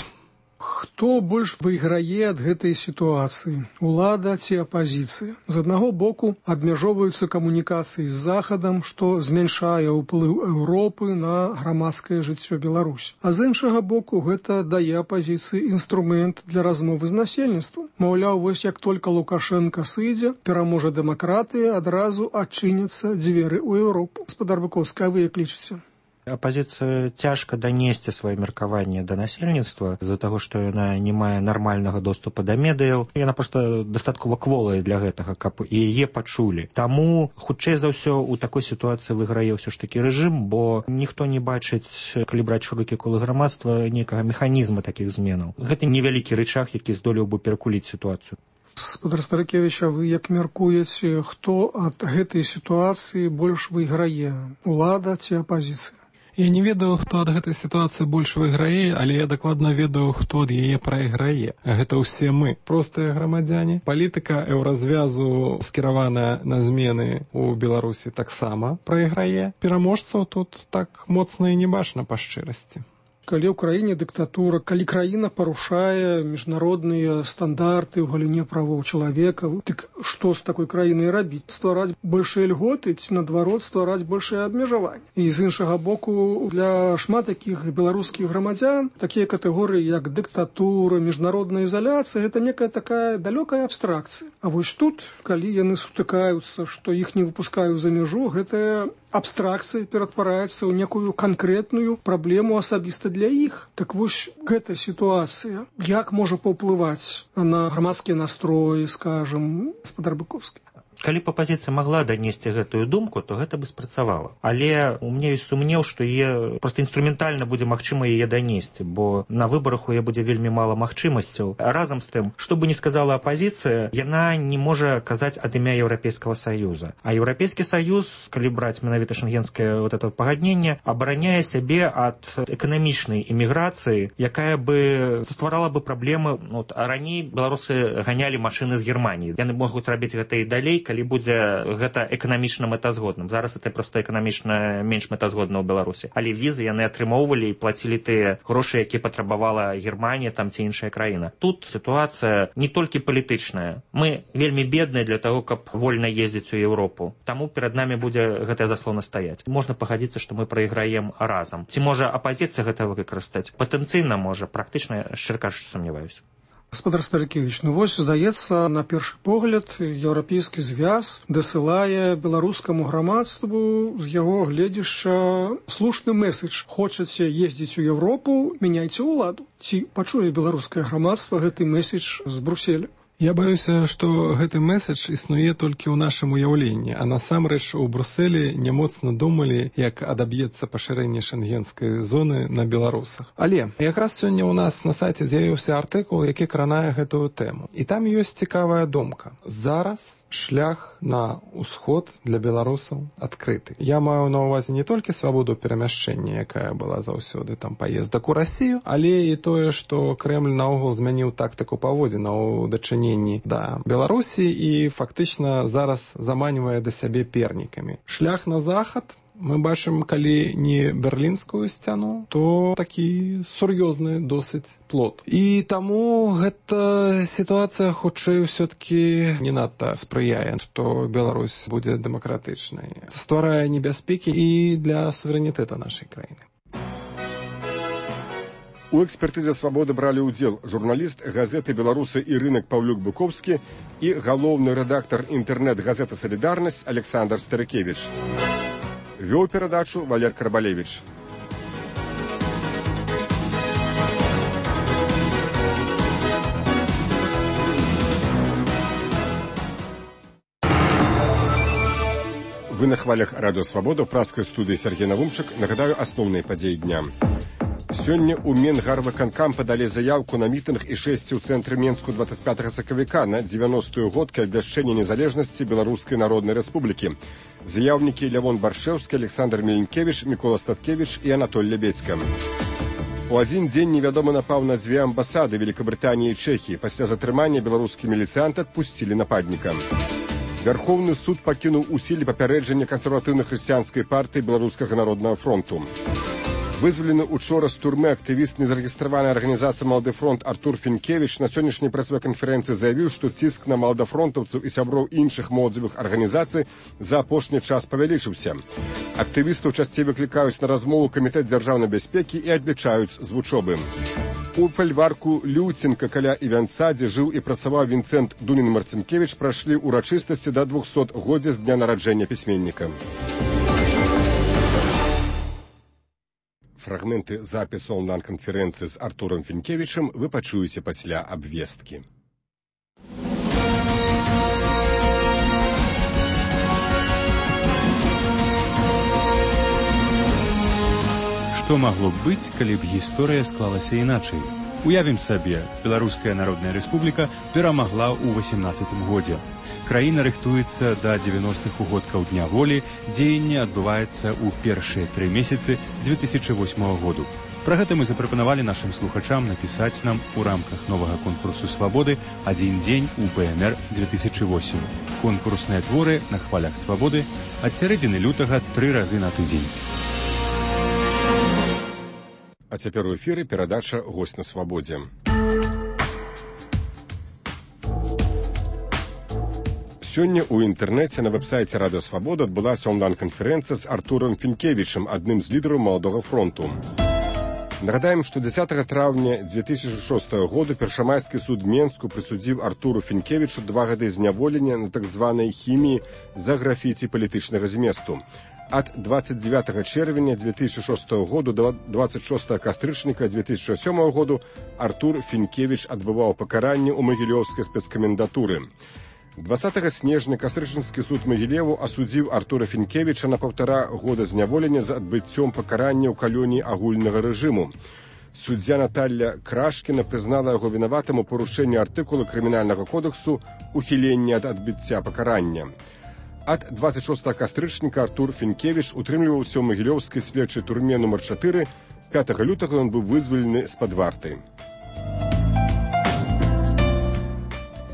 Хто больш выйграе ад гэтай сітуацыі? Улада ці апазіцыя? З аднаго боку абмяжоўваюцца камунікацыі з Захадам, што змяншае ўплыў Еўропы на грамадскае жыццё Беларусі. А з іншага боку гэта дае апазіцыі інструмент для размовы з насельніцтвам. Маўляў, вось як толькі Лукашенка сыдзе, пераможа дэмакратыя, адразу адчыняцца дзверы ў Еўропу. Гаспадар Буковскі, а вы як лічыце? Апазіцыя цяжка данесці сваё меркаванне да насельніцтва з-за таго, што яна не мае нармальнага доступа да медыяў. Яна проста дастаткова кволая для гэтага, каб і яе пачулі. Таму, хутчэй за ўсё, у такой сітуацыі выйграе ўсё ж такі рэжым, бо ніхто не бачыць, калі браць шырокі колы грамадства, нейкага механізма такіх зменаў. Гэта невялікі рычаг, які здолеў бы перакуліць сітуацыю. Гаспадар Старыкевіч, а вы як мяркуеце, хто ад гэтай сітуацыі больш выйграе? Улада ці апазіцыя? Я не ведаю, хто ад гэтай сітуацыі больш выйграе, але я дакладна ведаю, хто ад яе прайграе. Гэта ўсе мы, простыя грамадзяне. Палітыка еўразвязу, скіраваная на змены ў Беларусі, таксама прайграе. Пераможцаў тут так моцна і не бачна па шчырасці. Калі ў краіне дыктатура, калі краіна парушае міжнародныя стандарты ў галіне правоў чалавека, дык што з такой краінай рабіць? Ствараць большыя льготы ці, наадварот, ствараць большыя абмежаванні. І з іншага боку, для шмат такіх беларускіх грамадзян такія катэгорыі, як дыктатура, міжнародная ізаляцыя, гэта некая такая далёкая абстракцыя. А вось тут, калі яны сутыкаюцца, што іх не выпускаюць за мяжу, гэтая абстракцыя ператвараецца ў некую канкрэтную праблему асабіста для іх. Так вось гэта сітуацыя. Як можа паўплываць на грамадскія настроі, скажам, гаспадар Буковскі? Калі б апазіцыя магла данесці гэтую думку, то гэта бы спрацавала. Але у мяне ёсць сумнеў, што яе проста інструментальна будзе магчыма яе данесці, бо на выбарах у яе будзе вельмі мала магчымасцяў. Разам з тым, што бы ні сказала апазіцыя, яна не можа казаць ад імя Еўрапейскага Саюза. А Еўрапейскі Саюз, калі браць менавіта шэнгенскае вот это пагадненне, абараняе сябе ад эканамічнай эміграцыі, якая бы стварала бы праблемы. Вот, а раней беларусы ганялі машыны з Германіі. Яны могуць рабіць гэта і далей, калі будзе гэта эканамічна мэтазгодным. Зараз это проста эканамічна менш мэтазгодна ў Беларусі. Але візы яны атрымоўвалі і плацілі тыя грошы, якія патрабавала Германія там ці іншая краіна. Тут сітуацыя не толькі палітычная. Мы вельмі бедныя для таго, каб вольна ездзіць у Еўропу. Таму перад намі будзе гэтая заслона стаяць. Можна пагадзіцца, што мы прайграем разам. Ці можа апазіцыя гэта выкарыстаць? Патэнцыйна можа, практычна, шчыра кажучы, сумняваюся. Гаспадар Старыкевіч, ну вось, здаецца, на першы погляд еўрапейскі звяз дасылае беларускаму грамадству з яго гледзяшча слушны месседж. Хочаце ездзіць у Еўропу, мяняйце ўладу. Ці пачуе беларускае грамадства гэты месседж з Брюсселя? Я баюся, што гэты месседж існуе толькі ў нашым уяўленні, а насамрэч у Брюсселі не моцна думалі, як адаб'ецца пашырэнне шэнгенскай зоны на беларусах. Але якраз сёння ў нас на сайце з'явіўся артыкул, які кранае гэтую тэму. І там ёсць цікавая думка. Зараз шлях на ўсход для беларусаў адкрыты. Я маю на ўвазе не толькі свабоду перамяшчэння, якая была заўсёды там паездак у Расію, але і тое, што Крэмль наогул змяніў тактыку паводзінаў у дачыненні да Беларусі і фактычна зараз заманівае да сябе пернікамі. Шлях на захад мы бачым, калі не берлінскую сцяну, то такі сур'ёзны досыць плод. І таму гэта сітуацыя хутчэй усё-ткі не надта спрыяе, што Беларусь будзе дэмакратычнай. Стварае небяспекі і для суверэнітэта нашай краіны. У экспертызе «Свабоды» бралі ўдзел журналіст газеты «Беларусы» і рынак Паўлюк Быковскі і галоўны рэдактар інтэрнэт-газеты «Салідарнасць» Александр Старыкевіч. Вёў перадачу Валер Карбалевіч. Вы на хвалях радыё «Свабода» ў праскай студыі Сергей Навумчык. Нагадаю асноўныя падзеі дня. Сёння ў Менгарвыканкам падалі заяўку на мітынг і шэсці ў цэнтры Менску дваццаць пятага сакавіка на дзевяностую годку абвяшчэння незалежнасці Беларускай Народнай Рэспублікі. Заяўнікі Лявон Баршэўскі, Александр Меленкевіч, Мікола Статкевіч і Анатоль Лебедзька. У адзін дзень невядомы напаў на дзве амбасады Великабрытаніі і Чэхіі. Пасля затрымання беларускі міліцыянты адпусцілі нападніка. Вярхоўны суд пакінуў у сіле папярэджання кансерватыўна-хрысціянскай партыі Беларускага народнага фронту. Вызвалены учора з турмы актывіст незарэгістраванай арганізацыі «Малады фронт» Артур Фінкевіч на сённяшняй прэс-канферэнцыі заявіў, што ціск на маладафронтаўцаў і сяброў іншых моладзевых арганізацый за апошні час павялічыўся. Актывістаў часцей выклікаюць на размову камітэт дзяржаўнай бяспекі і адлічаюць з вучобы. У фальварку Люценка каля Івянца, дзе жыў і працаваў Вінцэнт Дунін-Марцінкевіч, прайшлі ўрачыстасці да двухсотгоддзя з дня нараджэння пісьменніка. Фрагменты запісу онлайн-канферэнцыі з Артурам Фінкевічам вы пачуеце пасля абвесткі. Што магло б быць, калі б гісторыя склалася іначай? Уявім сабе, Беларуская Народная Рэспубліка перамагла ў васемнаццатым годзе. Краіна рыхтуецца да дзевяностых угодкаў Дня волі, дзеянне адбываецца ў першыя тры месяцы дзве тысячы восьмага году. Пра гэта мы запрапанавалі нашым слухачам напісаць нам у рамках новага конкурсу «Свабоды» «Адзін дзень у БНР две тысячи восемь». Конкурсныя творы на хвалях «Свабоды» ад сярэдзіны лютага тры разы на тыдзень. А цяпер у эфіры перадача «Госць на свабодзе». Сёння ў інтэрнэце на вэб-сайце «Радыё Свабода» адбылася онлайн-канферэнцыя з Артурам Фінкевічам, адным з лідараў «Маладога фронту». Нагадаем, што дзесятага траўня дзве тысячы шостага году першамайскі суд Менску прысудзіў Артуру Фінкевічу два гады зняволення на так званай хіміі за графіці палітычнага зместу. Ад дваццаць дзевятага чэрвеня дзве тысячы шостага году да дваццаць шостага кастрычніка дзве тысячы сёмага году Артур Фінкевіч адбываў пакаранне ў Магілёўскай спецкамендатуры. дваццатага снежня кастрычніцкі суд Магілеву асудзіў Артура Фінкевіча на паўтара года зняволення за адбыццём пакарання ў калоніі агульнага рэжыму. Суддзя Наталля Крашкіна прызнала яго вінаватым у парушэнні артыкула крымінальнага кодексу «Ухіленне ад адбыцця пакарання». Ад дваццаць шостага кастрычніка Артур Фінкевіч утрымліваўся ў Магілёўскай следчай турме нумар чатыры. пятага лютага ён быў вызвалены з-пад варты.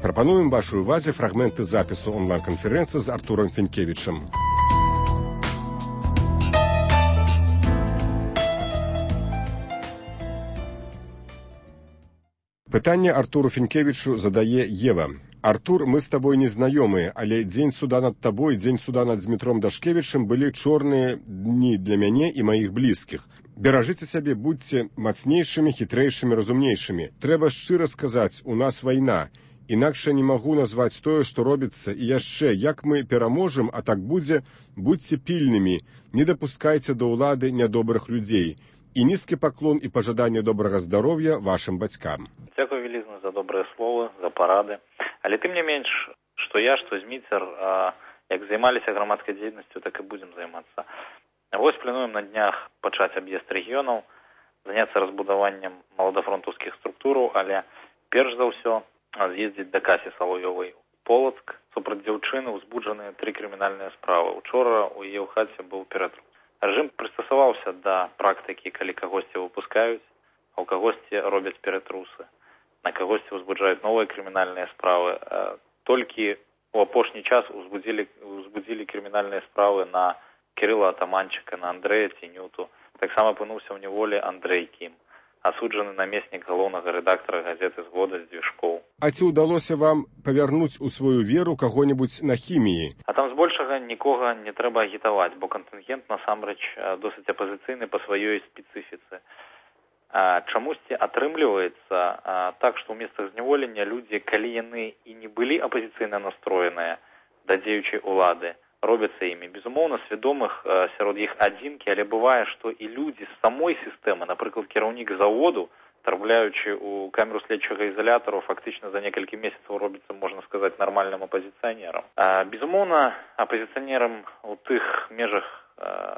Прапануем вашай увазе фрагменты запісу онлайн-канферэнцыі з Артурам Фінкевічам. Пытанне Артуру Фінкевічу задае Ева. Артур, мы з табой не знаёмыя, але дзень суда над табой, дзень суда над Змітром Дашкевічам былі чорныя дні для мяне і маіх блізкіх. Беражыце сябе, будьце мацнейшымі, хітрэйшымі, разумнейшымі. Трэба шчыра сказаць, у нас вайна. Інакш не магу назваць тое, што робіцца, і яшчэ, як мы пераможам, а так будзе, будьце пільнымі, не дапускайце да ўлады нядобрых людзей. І нізкі паклон і пажаданне добрага здароўя вашым бацькам. Дзякуй вялізна за добрыя словы, за парады. Але тым не менш, што я, што Зміцер, як займаліся грамадскай дзейнасцю, так і будзем займацца. Вось плануем на днях пачаць аб'езд рэгіёнаў, заняцца разбудаваннем маладафронтаўскіх структураў, але перш за ўсё з'ездзіць да Касі Саловёвай у Полацк. Супраць дзяўчыны ўзбуджаныя тры крымінальныя справы. Учора у яе ў хаце быў ператруп. Рэжым прыстасаваўся да практыкі, калі кагосьці выпускаюць, а ў кагосьці робяць ператрусы. На кагосьці ўзбуджаюць новыя крымінальныя справы. Толькі у апошні час узбудзілі, узбудзілі крымінальныя справы на Кирилла Атаманчика, на Андрея Тенюту. Таксама апынуўся ў няволі Андрей Кім, асуджаны намеснік галоўнага рэдактара газеты «Згода» Здвижкоў. А ці ўдалося вам павярнуць у сваю веру каго-небудзь на хіміі? А там збольшага нікога не трэба агітаваць, бо кантынгент насамрэч досыць апазіцыйны па сваёй спецыфіцы. Чамусьці атрымліваецца так, што ў месцах зняволення людзі, калі яны і не былі апазіцыйна настроеныя да дзеючай улады, робяцца імі. Безумоўна, свядомых сярод іх адзінкі, але бывае, што і людзі з самой сістэмы, напрыклад, кіраўнік заводу, трапляючы ў камеру следчага ізалятару, фактычна за некалькі месяцаў робіцца, можна сказаць, нармальным апазіцыянерам. Безумоўна, апазіцыянерам у тых межах,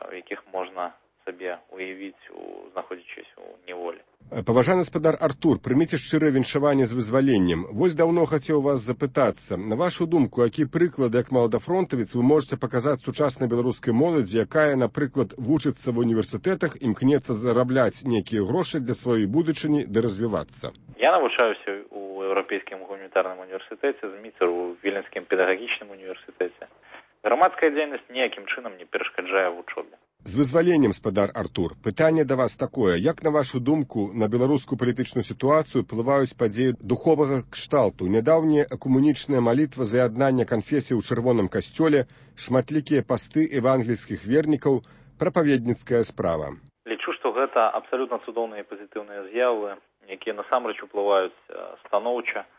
у якіх можна сабе уявіць, знаходзячись у неволі. Паважаны гаспадар Артур, прыміце шчырае віншаванне з вызваленнем. Вось даўно хацеў вас запытацца. На вашу думку, які прыклады, як маладафронтавец, вы можете паказаць сучаснай беларускай моладзі, якая, напрыклад, вучыцца ва універсітэтах, імкнецца зарабляць нейкія грошы для сваёй будучыні ды развівацца? Я навучаюся у Еўрапейскім гуманітарным універсітэце, Зміцер у Віленскім педагагічным універсітэце. Грамадская дзейнасць ніякім чынам не перашкаджае вучобе. З вызваленнем, гаспадар Артур, пытанне да вас такое. Як, на вашу думку, на беларускую палітычную сітуацыю ўплываюць падзеі духовага кшталту? Нядаўняя экумунічная малітва за яднання канфесій у чырвоным касцёле, шматлікія пасты евангельскіх вернікаў, прапаведніцкая справа. Лічу, што гэта абсалютна цудоўныя і пазітыўныя з'явы, якія насамрэч уплываюць станоўча.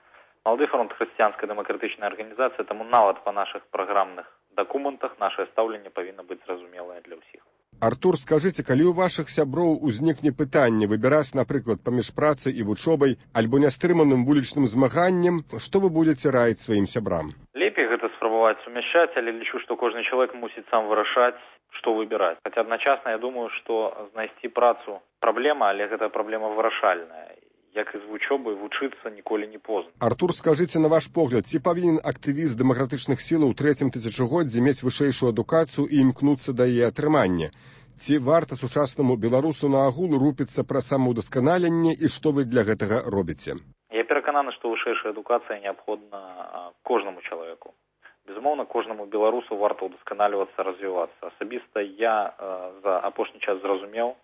Малады фронт хрысціянская дэмакратычная арганізацыя, таму нават па нашых праграмных дакументах нашае стаўленне павінна быць зразумелае для ўсіх. Артур, скажыце, калі ў вашых сяброў узнікне пытанне выбіраць, напрыклад, паміж працай і вучобай альбо нястрыманым вулічным змаганнем, што вы будзеце раіць сваім сябрам? Лепей гэта спрабаваць сумяшчаць, але лічу, што кожны чалавек мусіць сам вырашаць, што выбіраць. Хаця адначасна я думаю, што знайсці працу праблема, але гэта праблема вырашальная. Як і з вучобай, вучыцца ніколі не позна. Артур, скажыце, на ваш погляд, ці павінен актывіст дэмакратычных сілаў у трэцім тысячагоддзі мець вышэйшую адукацыю і імкнуцца да яе атрымання? Ці варта сучаснаму беларусу на агул рупіцца пра самаўдасканаленне і што вы для гэтага робіце? Я перакананы, што вышэйшая адукацыя неабходна кожнаму чалавеку. Безумоўна, кожнаму беларусу варта ўдасканальвацца, развівацца. Асабіста я э, за апошні час зразумеў,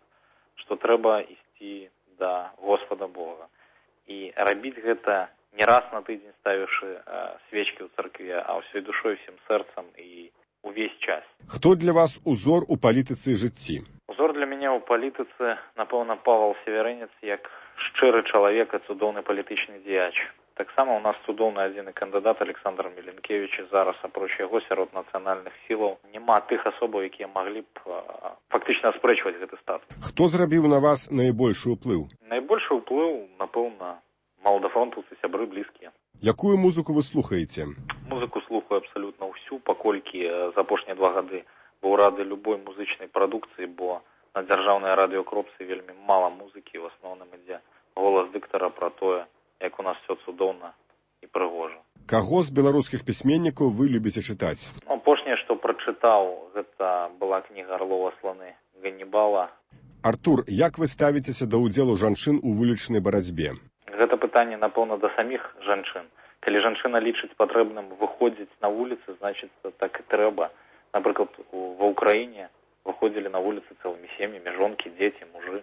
што трэба ісці да Господа Бога. І рабіць гэта не раз на тыдзень ставіўшы э, свечкі ў царкве, а ўсёй душой, усім сэрцам і увесь час. Хто для вас узор у палітыцы і жыцці? Узор для мяне ў палітыцы, напэўна, Павел Северынец, як шчыры чалавек і цудоўны палітычны дзеяч. Таксама ў нас цудоўны адзіны кандыдат Александр Міленкевіч, зараз апроч яго сярод нацыянальных сілаў няма тых асобаў, якія маглі б а, фактычна аспрэчваць гэты статус. Хто зрабіў на вас найбольшы ўплыў? Найбольшы ўплыў, напэўна, маладафронтаўцы, сябры блізкія. Якую музыку вы слухаеце? Музыку слухаю абсалютна ўсю, паколькі за апошнія два гады быў рады любой музычнай прадукцыі, бо на дзяржаўнай радыёкропцы вельмі мала музыкі, в асноўным ідзе голас дыктара пра тое, як у нас все цудоўна і прыгожа. Каго з беларускіх пісьменнікаў вы любіце чытаць? Апошняе, што прачытаў, гэта была кніга Арлова сланы Ганнібала. Артур, як вы ставіцеся да ўдзелу жанчын у вулічнай барацьбе? Гэта пытанне, напэўна, да саміх жанчын. Калі жанчына лічыць патрэбным выходзіць на вуліцы, значыць, так і трэба. Напрыклад, ва Ўкраіне выходзілі на вуліцы цэлымі сем'ямі, жонкі, дзеці, мужы.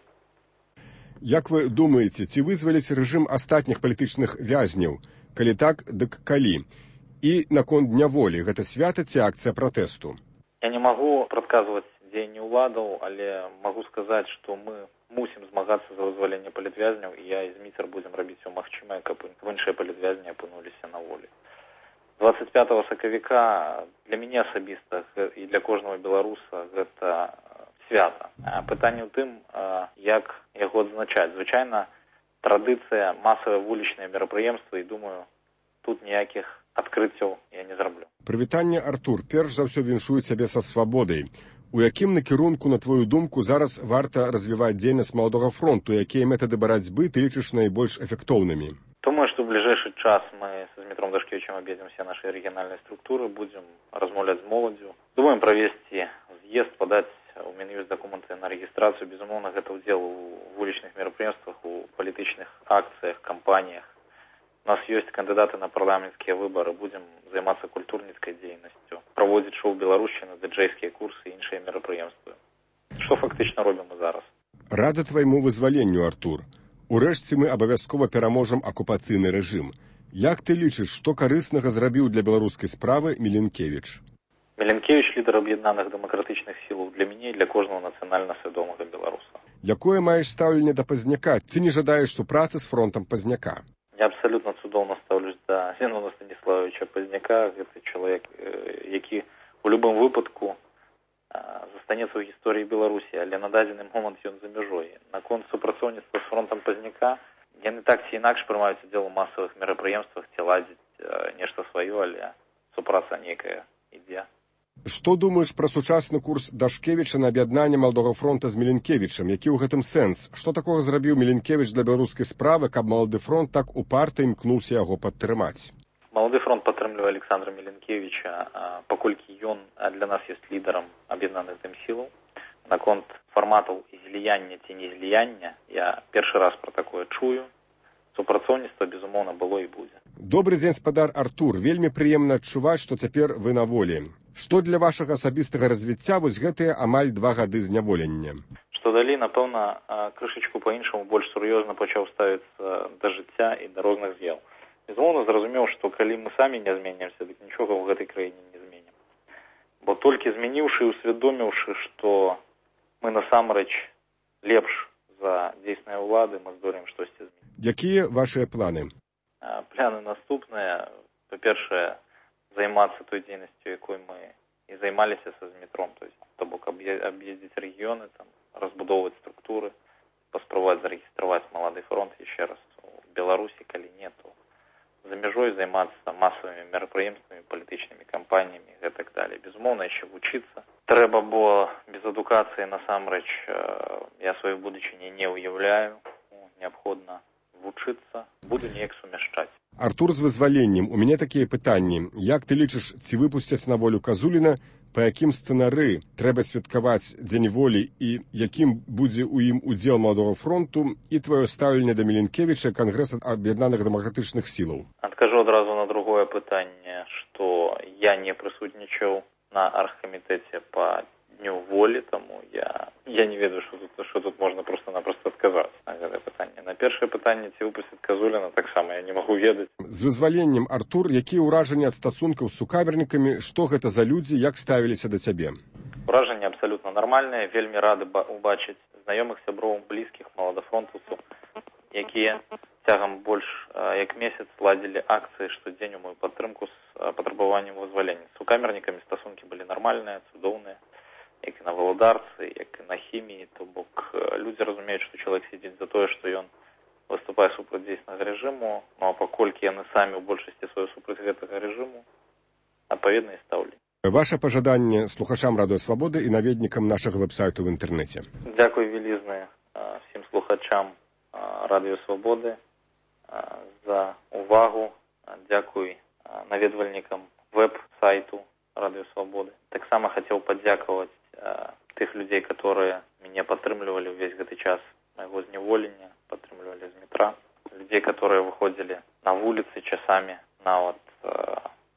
Як вы думаеце, ці вызваліць рэжым астатніх палітычных вязняў? Калі так, дык калі? І наконт дня волі, гэта свята ці акцыя пратэсту? Я не магу прадказваць дзеянні ўладаў, але магу сказаць, што мы мусім змагацца за вызваленне палітвязняў, і я і зміцер будзем рабіць усё магчымае, каб іншыя палітвязні апынуліся на волі. двадцать пятого сакавіка для мяне асабіста і для кожнага беларуса гэта свята. Пытанне ў тым, як яго адзначаць. Звычайна традыцыя, масавыя вулічныя мерапрыемствы, і думаю, тут ніякіх адкрыццяў я не зраблю. Прывітанне, Артур. Перш за ўсё віншую цябе са свабодай. У якім накірунку, на твою думку, зараз варта развіваць дзейнасць Маладога фронту? Якія метады барацьбы ты лічыш найбольш эфектоўнымі? Думаю, што ў бліжэйшы час мы з Дмітром Дашкевічем аб'едзем усе нашыя рэгіянальныя структуры, будзем размаўляць з моладдзю. Думаем правесці з'езд, падаць у Мін'юст дакументы на рэгістрацыю. Безумоўна, гэта ўдзел у вулічных мерапрыемствах, у палітычных акцыях, кампаніях. У нас ёсць кандыдаты на парламенцкія выбары, будзем займацца культурніцкай дзейнасцю, праводзіць шоу-беларушчына, дыджэйскія курсы і іншыя мерапрыемствы. Што фактычна робім мы зараз. Рада твайму вызваленню, Артур. Урэшце мы абавязкова пераможам акупацыйны рэжым. Як ты лічыш, што карыснага зрабіў для беларускай справы Міленкевіч? Міленкевіч — лідар аб'яднаных дэмакратычных сілаў для мяне і для кожнага нацыянальна свядомага беларуса. Якое маеш стаўленне да Пазняка? Ці не жадаеш супрацы з фронтам Пазняка? Я абсалютна цудоўна стаўлюсь да Зенона Станіславовича Пазняка. Гэта чалавек, які у любым выпадку застанецца ў гісторыі Беларусі, але на дадзены момант ён за мяжой. Наконт супрацоўніцтва з фронтам Пазняка, яны так ці інакш прымаюць удзел у масавых мерапрыемствах, ці ладзіць нешта сваё, але супраца нейкая ідзе. Што думаеш пра сучасны курс Дашкевіча на аб'яднанне Маладога фронта з Міленкевічам? Які ў гэтым сэнс? Што такога зрабіў Міленкевіч для беларускай справы, каб Малады фронт так упарта імкнуўся яго падтрымаць? Малады фронт падтрымлівае Александра Міленкевіча, паколькі ён для нас ёсць лідарам аб'яднаных дэмсілаў. Наконт фарматаў зліяння ці не зліяння я першы раз пра такое чую. Супрацоўніцтва, безумоўна, было і будзе. Добры дзень, спадар Артур. Вельмі прыемна адчуваць, што цяпер вы на волі. Што для вашага асабістага развіцця вось гэтыя амаль два гады зняволення? Што далі, напэўна, крышачку па-іншаму больш сур'ёзна пачаў ставіцца да жыцця і да розных з'яў. Безумоўна, зразумеў, што калі мы самі не зменімся, дык нічога ў гэтай краіне не зменім. Бо толькі змяніўшы і усвядоміўшы, што мы насамрэч лепш за дзейсныя ўлады, мы здолеем штосьці змяніць. Якія вашыя планы? Планы наступныя. Па-першае, займацца той дзейнасцю, якой мы і займаліся са Змітром, то есть, то бок аб'ездзіць рэгіёны, там, разбудоўваць структуры, паспрабаваць зарэгістраваць Малады фронт яшчэ раз у Беларусі, калі не, то за мяжой займацца масавымі мерапрыемствамі, палітычнымі кампаніямі і гэтак далей. Безумоўна, яшчэ вучыцца трэба, бо без адукацыі насамрэч я сваёй будучыні не ўяўляю. Неабходна вучыцца, буду неяк сумяшчаць. Артур, з вызваленнем. У мяне такія пытанні. Як ты лічыш, ці выпусцяць на волю Казуліна, па якім сцэнары трэба святкаваць Дзень волі і якім будзе ў ім удзел Маладога фронту і тваё стаўленне да Міленкевіча, Кангрэса аб'яднаных дэмакратычных сілаў? Адкажу адразу на другое пытанне, што я не прысутнічаў на аргкамітэце па Дню волі, таму я, я не ведаю, што тут, што тут можна проста-напроста адказаць на гэтае пытанне. На першае пытанне, ці выпусцяць Казуліна, таксама я не магу ведаць. З вызваленнем, Артур, якія ўражанні ад стасункаў з сукамернікамі, што гэта за людзі, як ставіліся да цябе? Ўражанні абсалютна нармальныя, вельмі рады убачыць знаёмых, сяброў, блізкіх маладафронтаўцаў, якія цягам больш як месяц ладзілі акцыі штодзень у мою падтрымку з патрабаваннем вызвалення. З сукамернікамі стасункі былі нармальныя, цудоўныя, як і на валадарцы, як і на хіміі, то бок людзі разумеюць, што чалавек сядзіць за тое, што ён выступае супраць дзейснага рэжыму, ну а паколькі яны самі ў большасці сваёй супраць гэтага рэжыму, адпаведна і стаўленне. Ваша пажаданне слухачам Радыё Свабоды і наведнікам нашага вэб-сайту ў інтэрнэце. Дзякуй вялізнае всім слухачам Радыё Свабоды за увагу. Дзякуй наведвальнікам веб-сайту Радыё Свабоды. Таксама хацеў падзякаваць тых людзей, которые мяне падтрымлівалі ўвесь гэты час майго зняволення, падтрымлівалі Змітра, людзей, которые выходзілі на вуліцы часамі, нават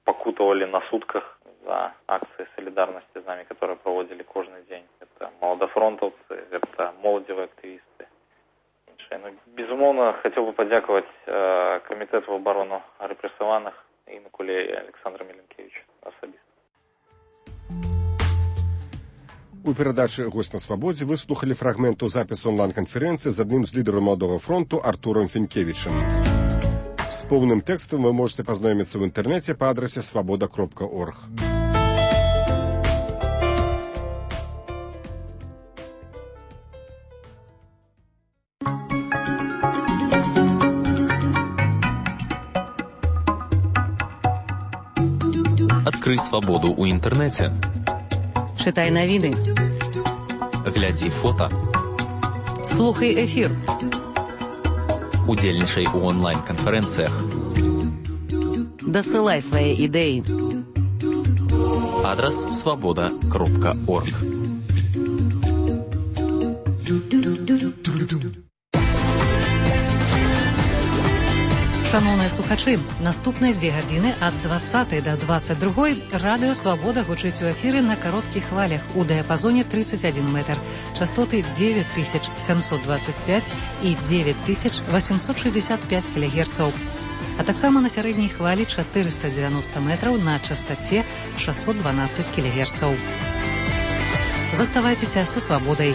пакутавалі на сутках за акцыі салідарнасці з намі, которые праводзілі кожны дзень. Это маладафронтаўцы, это моладзевыя актывісты, іншыя. Ну, безумоўна, хацеў бы падзякаваць камітэту абарону рэпрэсаваных і Мікулею Александра Міленкевіча асабіста. У перадачы «Гость на свабодзе» вы слухалі фрагменту запісу онлайн-канферэнцыі з адным з лідараў Маладога фронту Артурам Фінкевічам. З поўным тэкстам вы можете пазнаёміцца ў інтэрнэце па адрасе свабода кропка орг. Адкрый свабоду ў інтэрнэце. Читай новины. Глядзі фота. Слухай эфир. Удзельнічай у онлайн-канферэнцыях. Дасылай свае ідэі. Адрас свабода кропка орг. Шановныя слухачы, наступныя дзве гадзіны ад дваццатай да дваццаць другой радыё «Свабода» гучыць у эфіры на кароткіх хвалях у дыяпазоне тридцать один метр, частоты девять тысяч семьсот двадцать пять і девять тысяч восемьсот шестьдесят пять кілогерцаў, а таксама на сярэдняй хвалі четыреста девяносто метраў на частоце шестьсот двенадцать кілогерцаў. Заставайцеся са «Свабодай».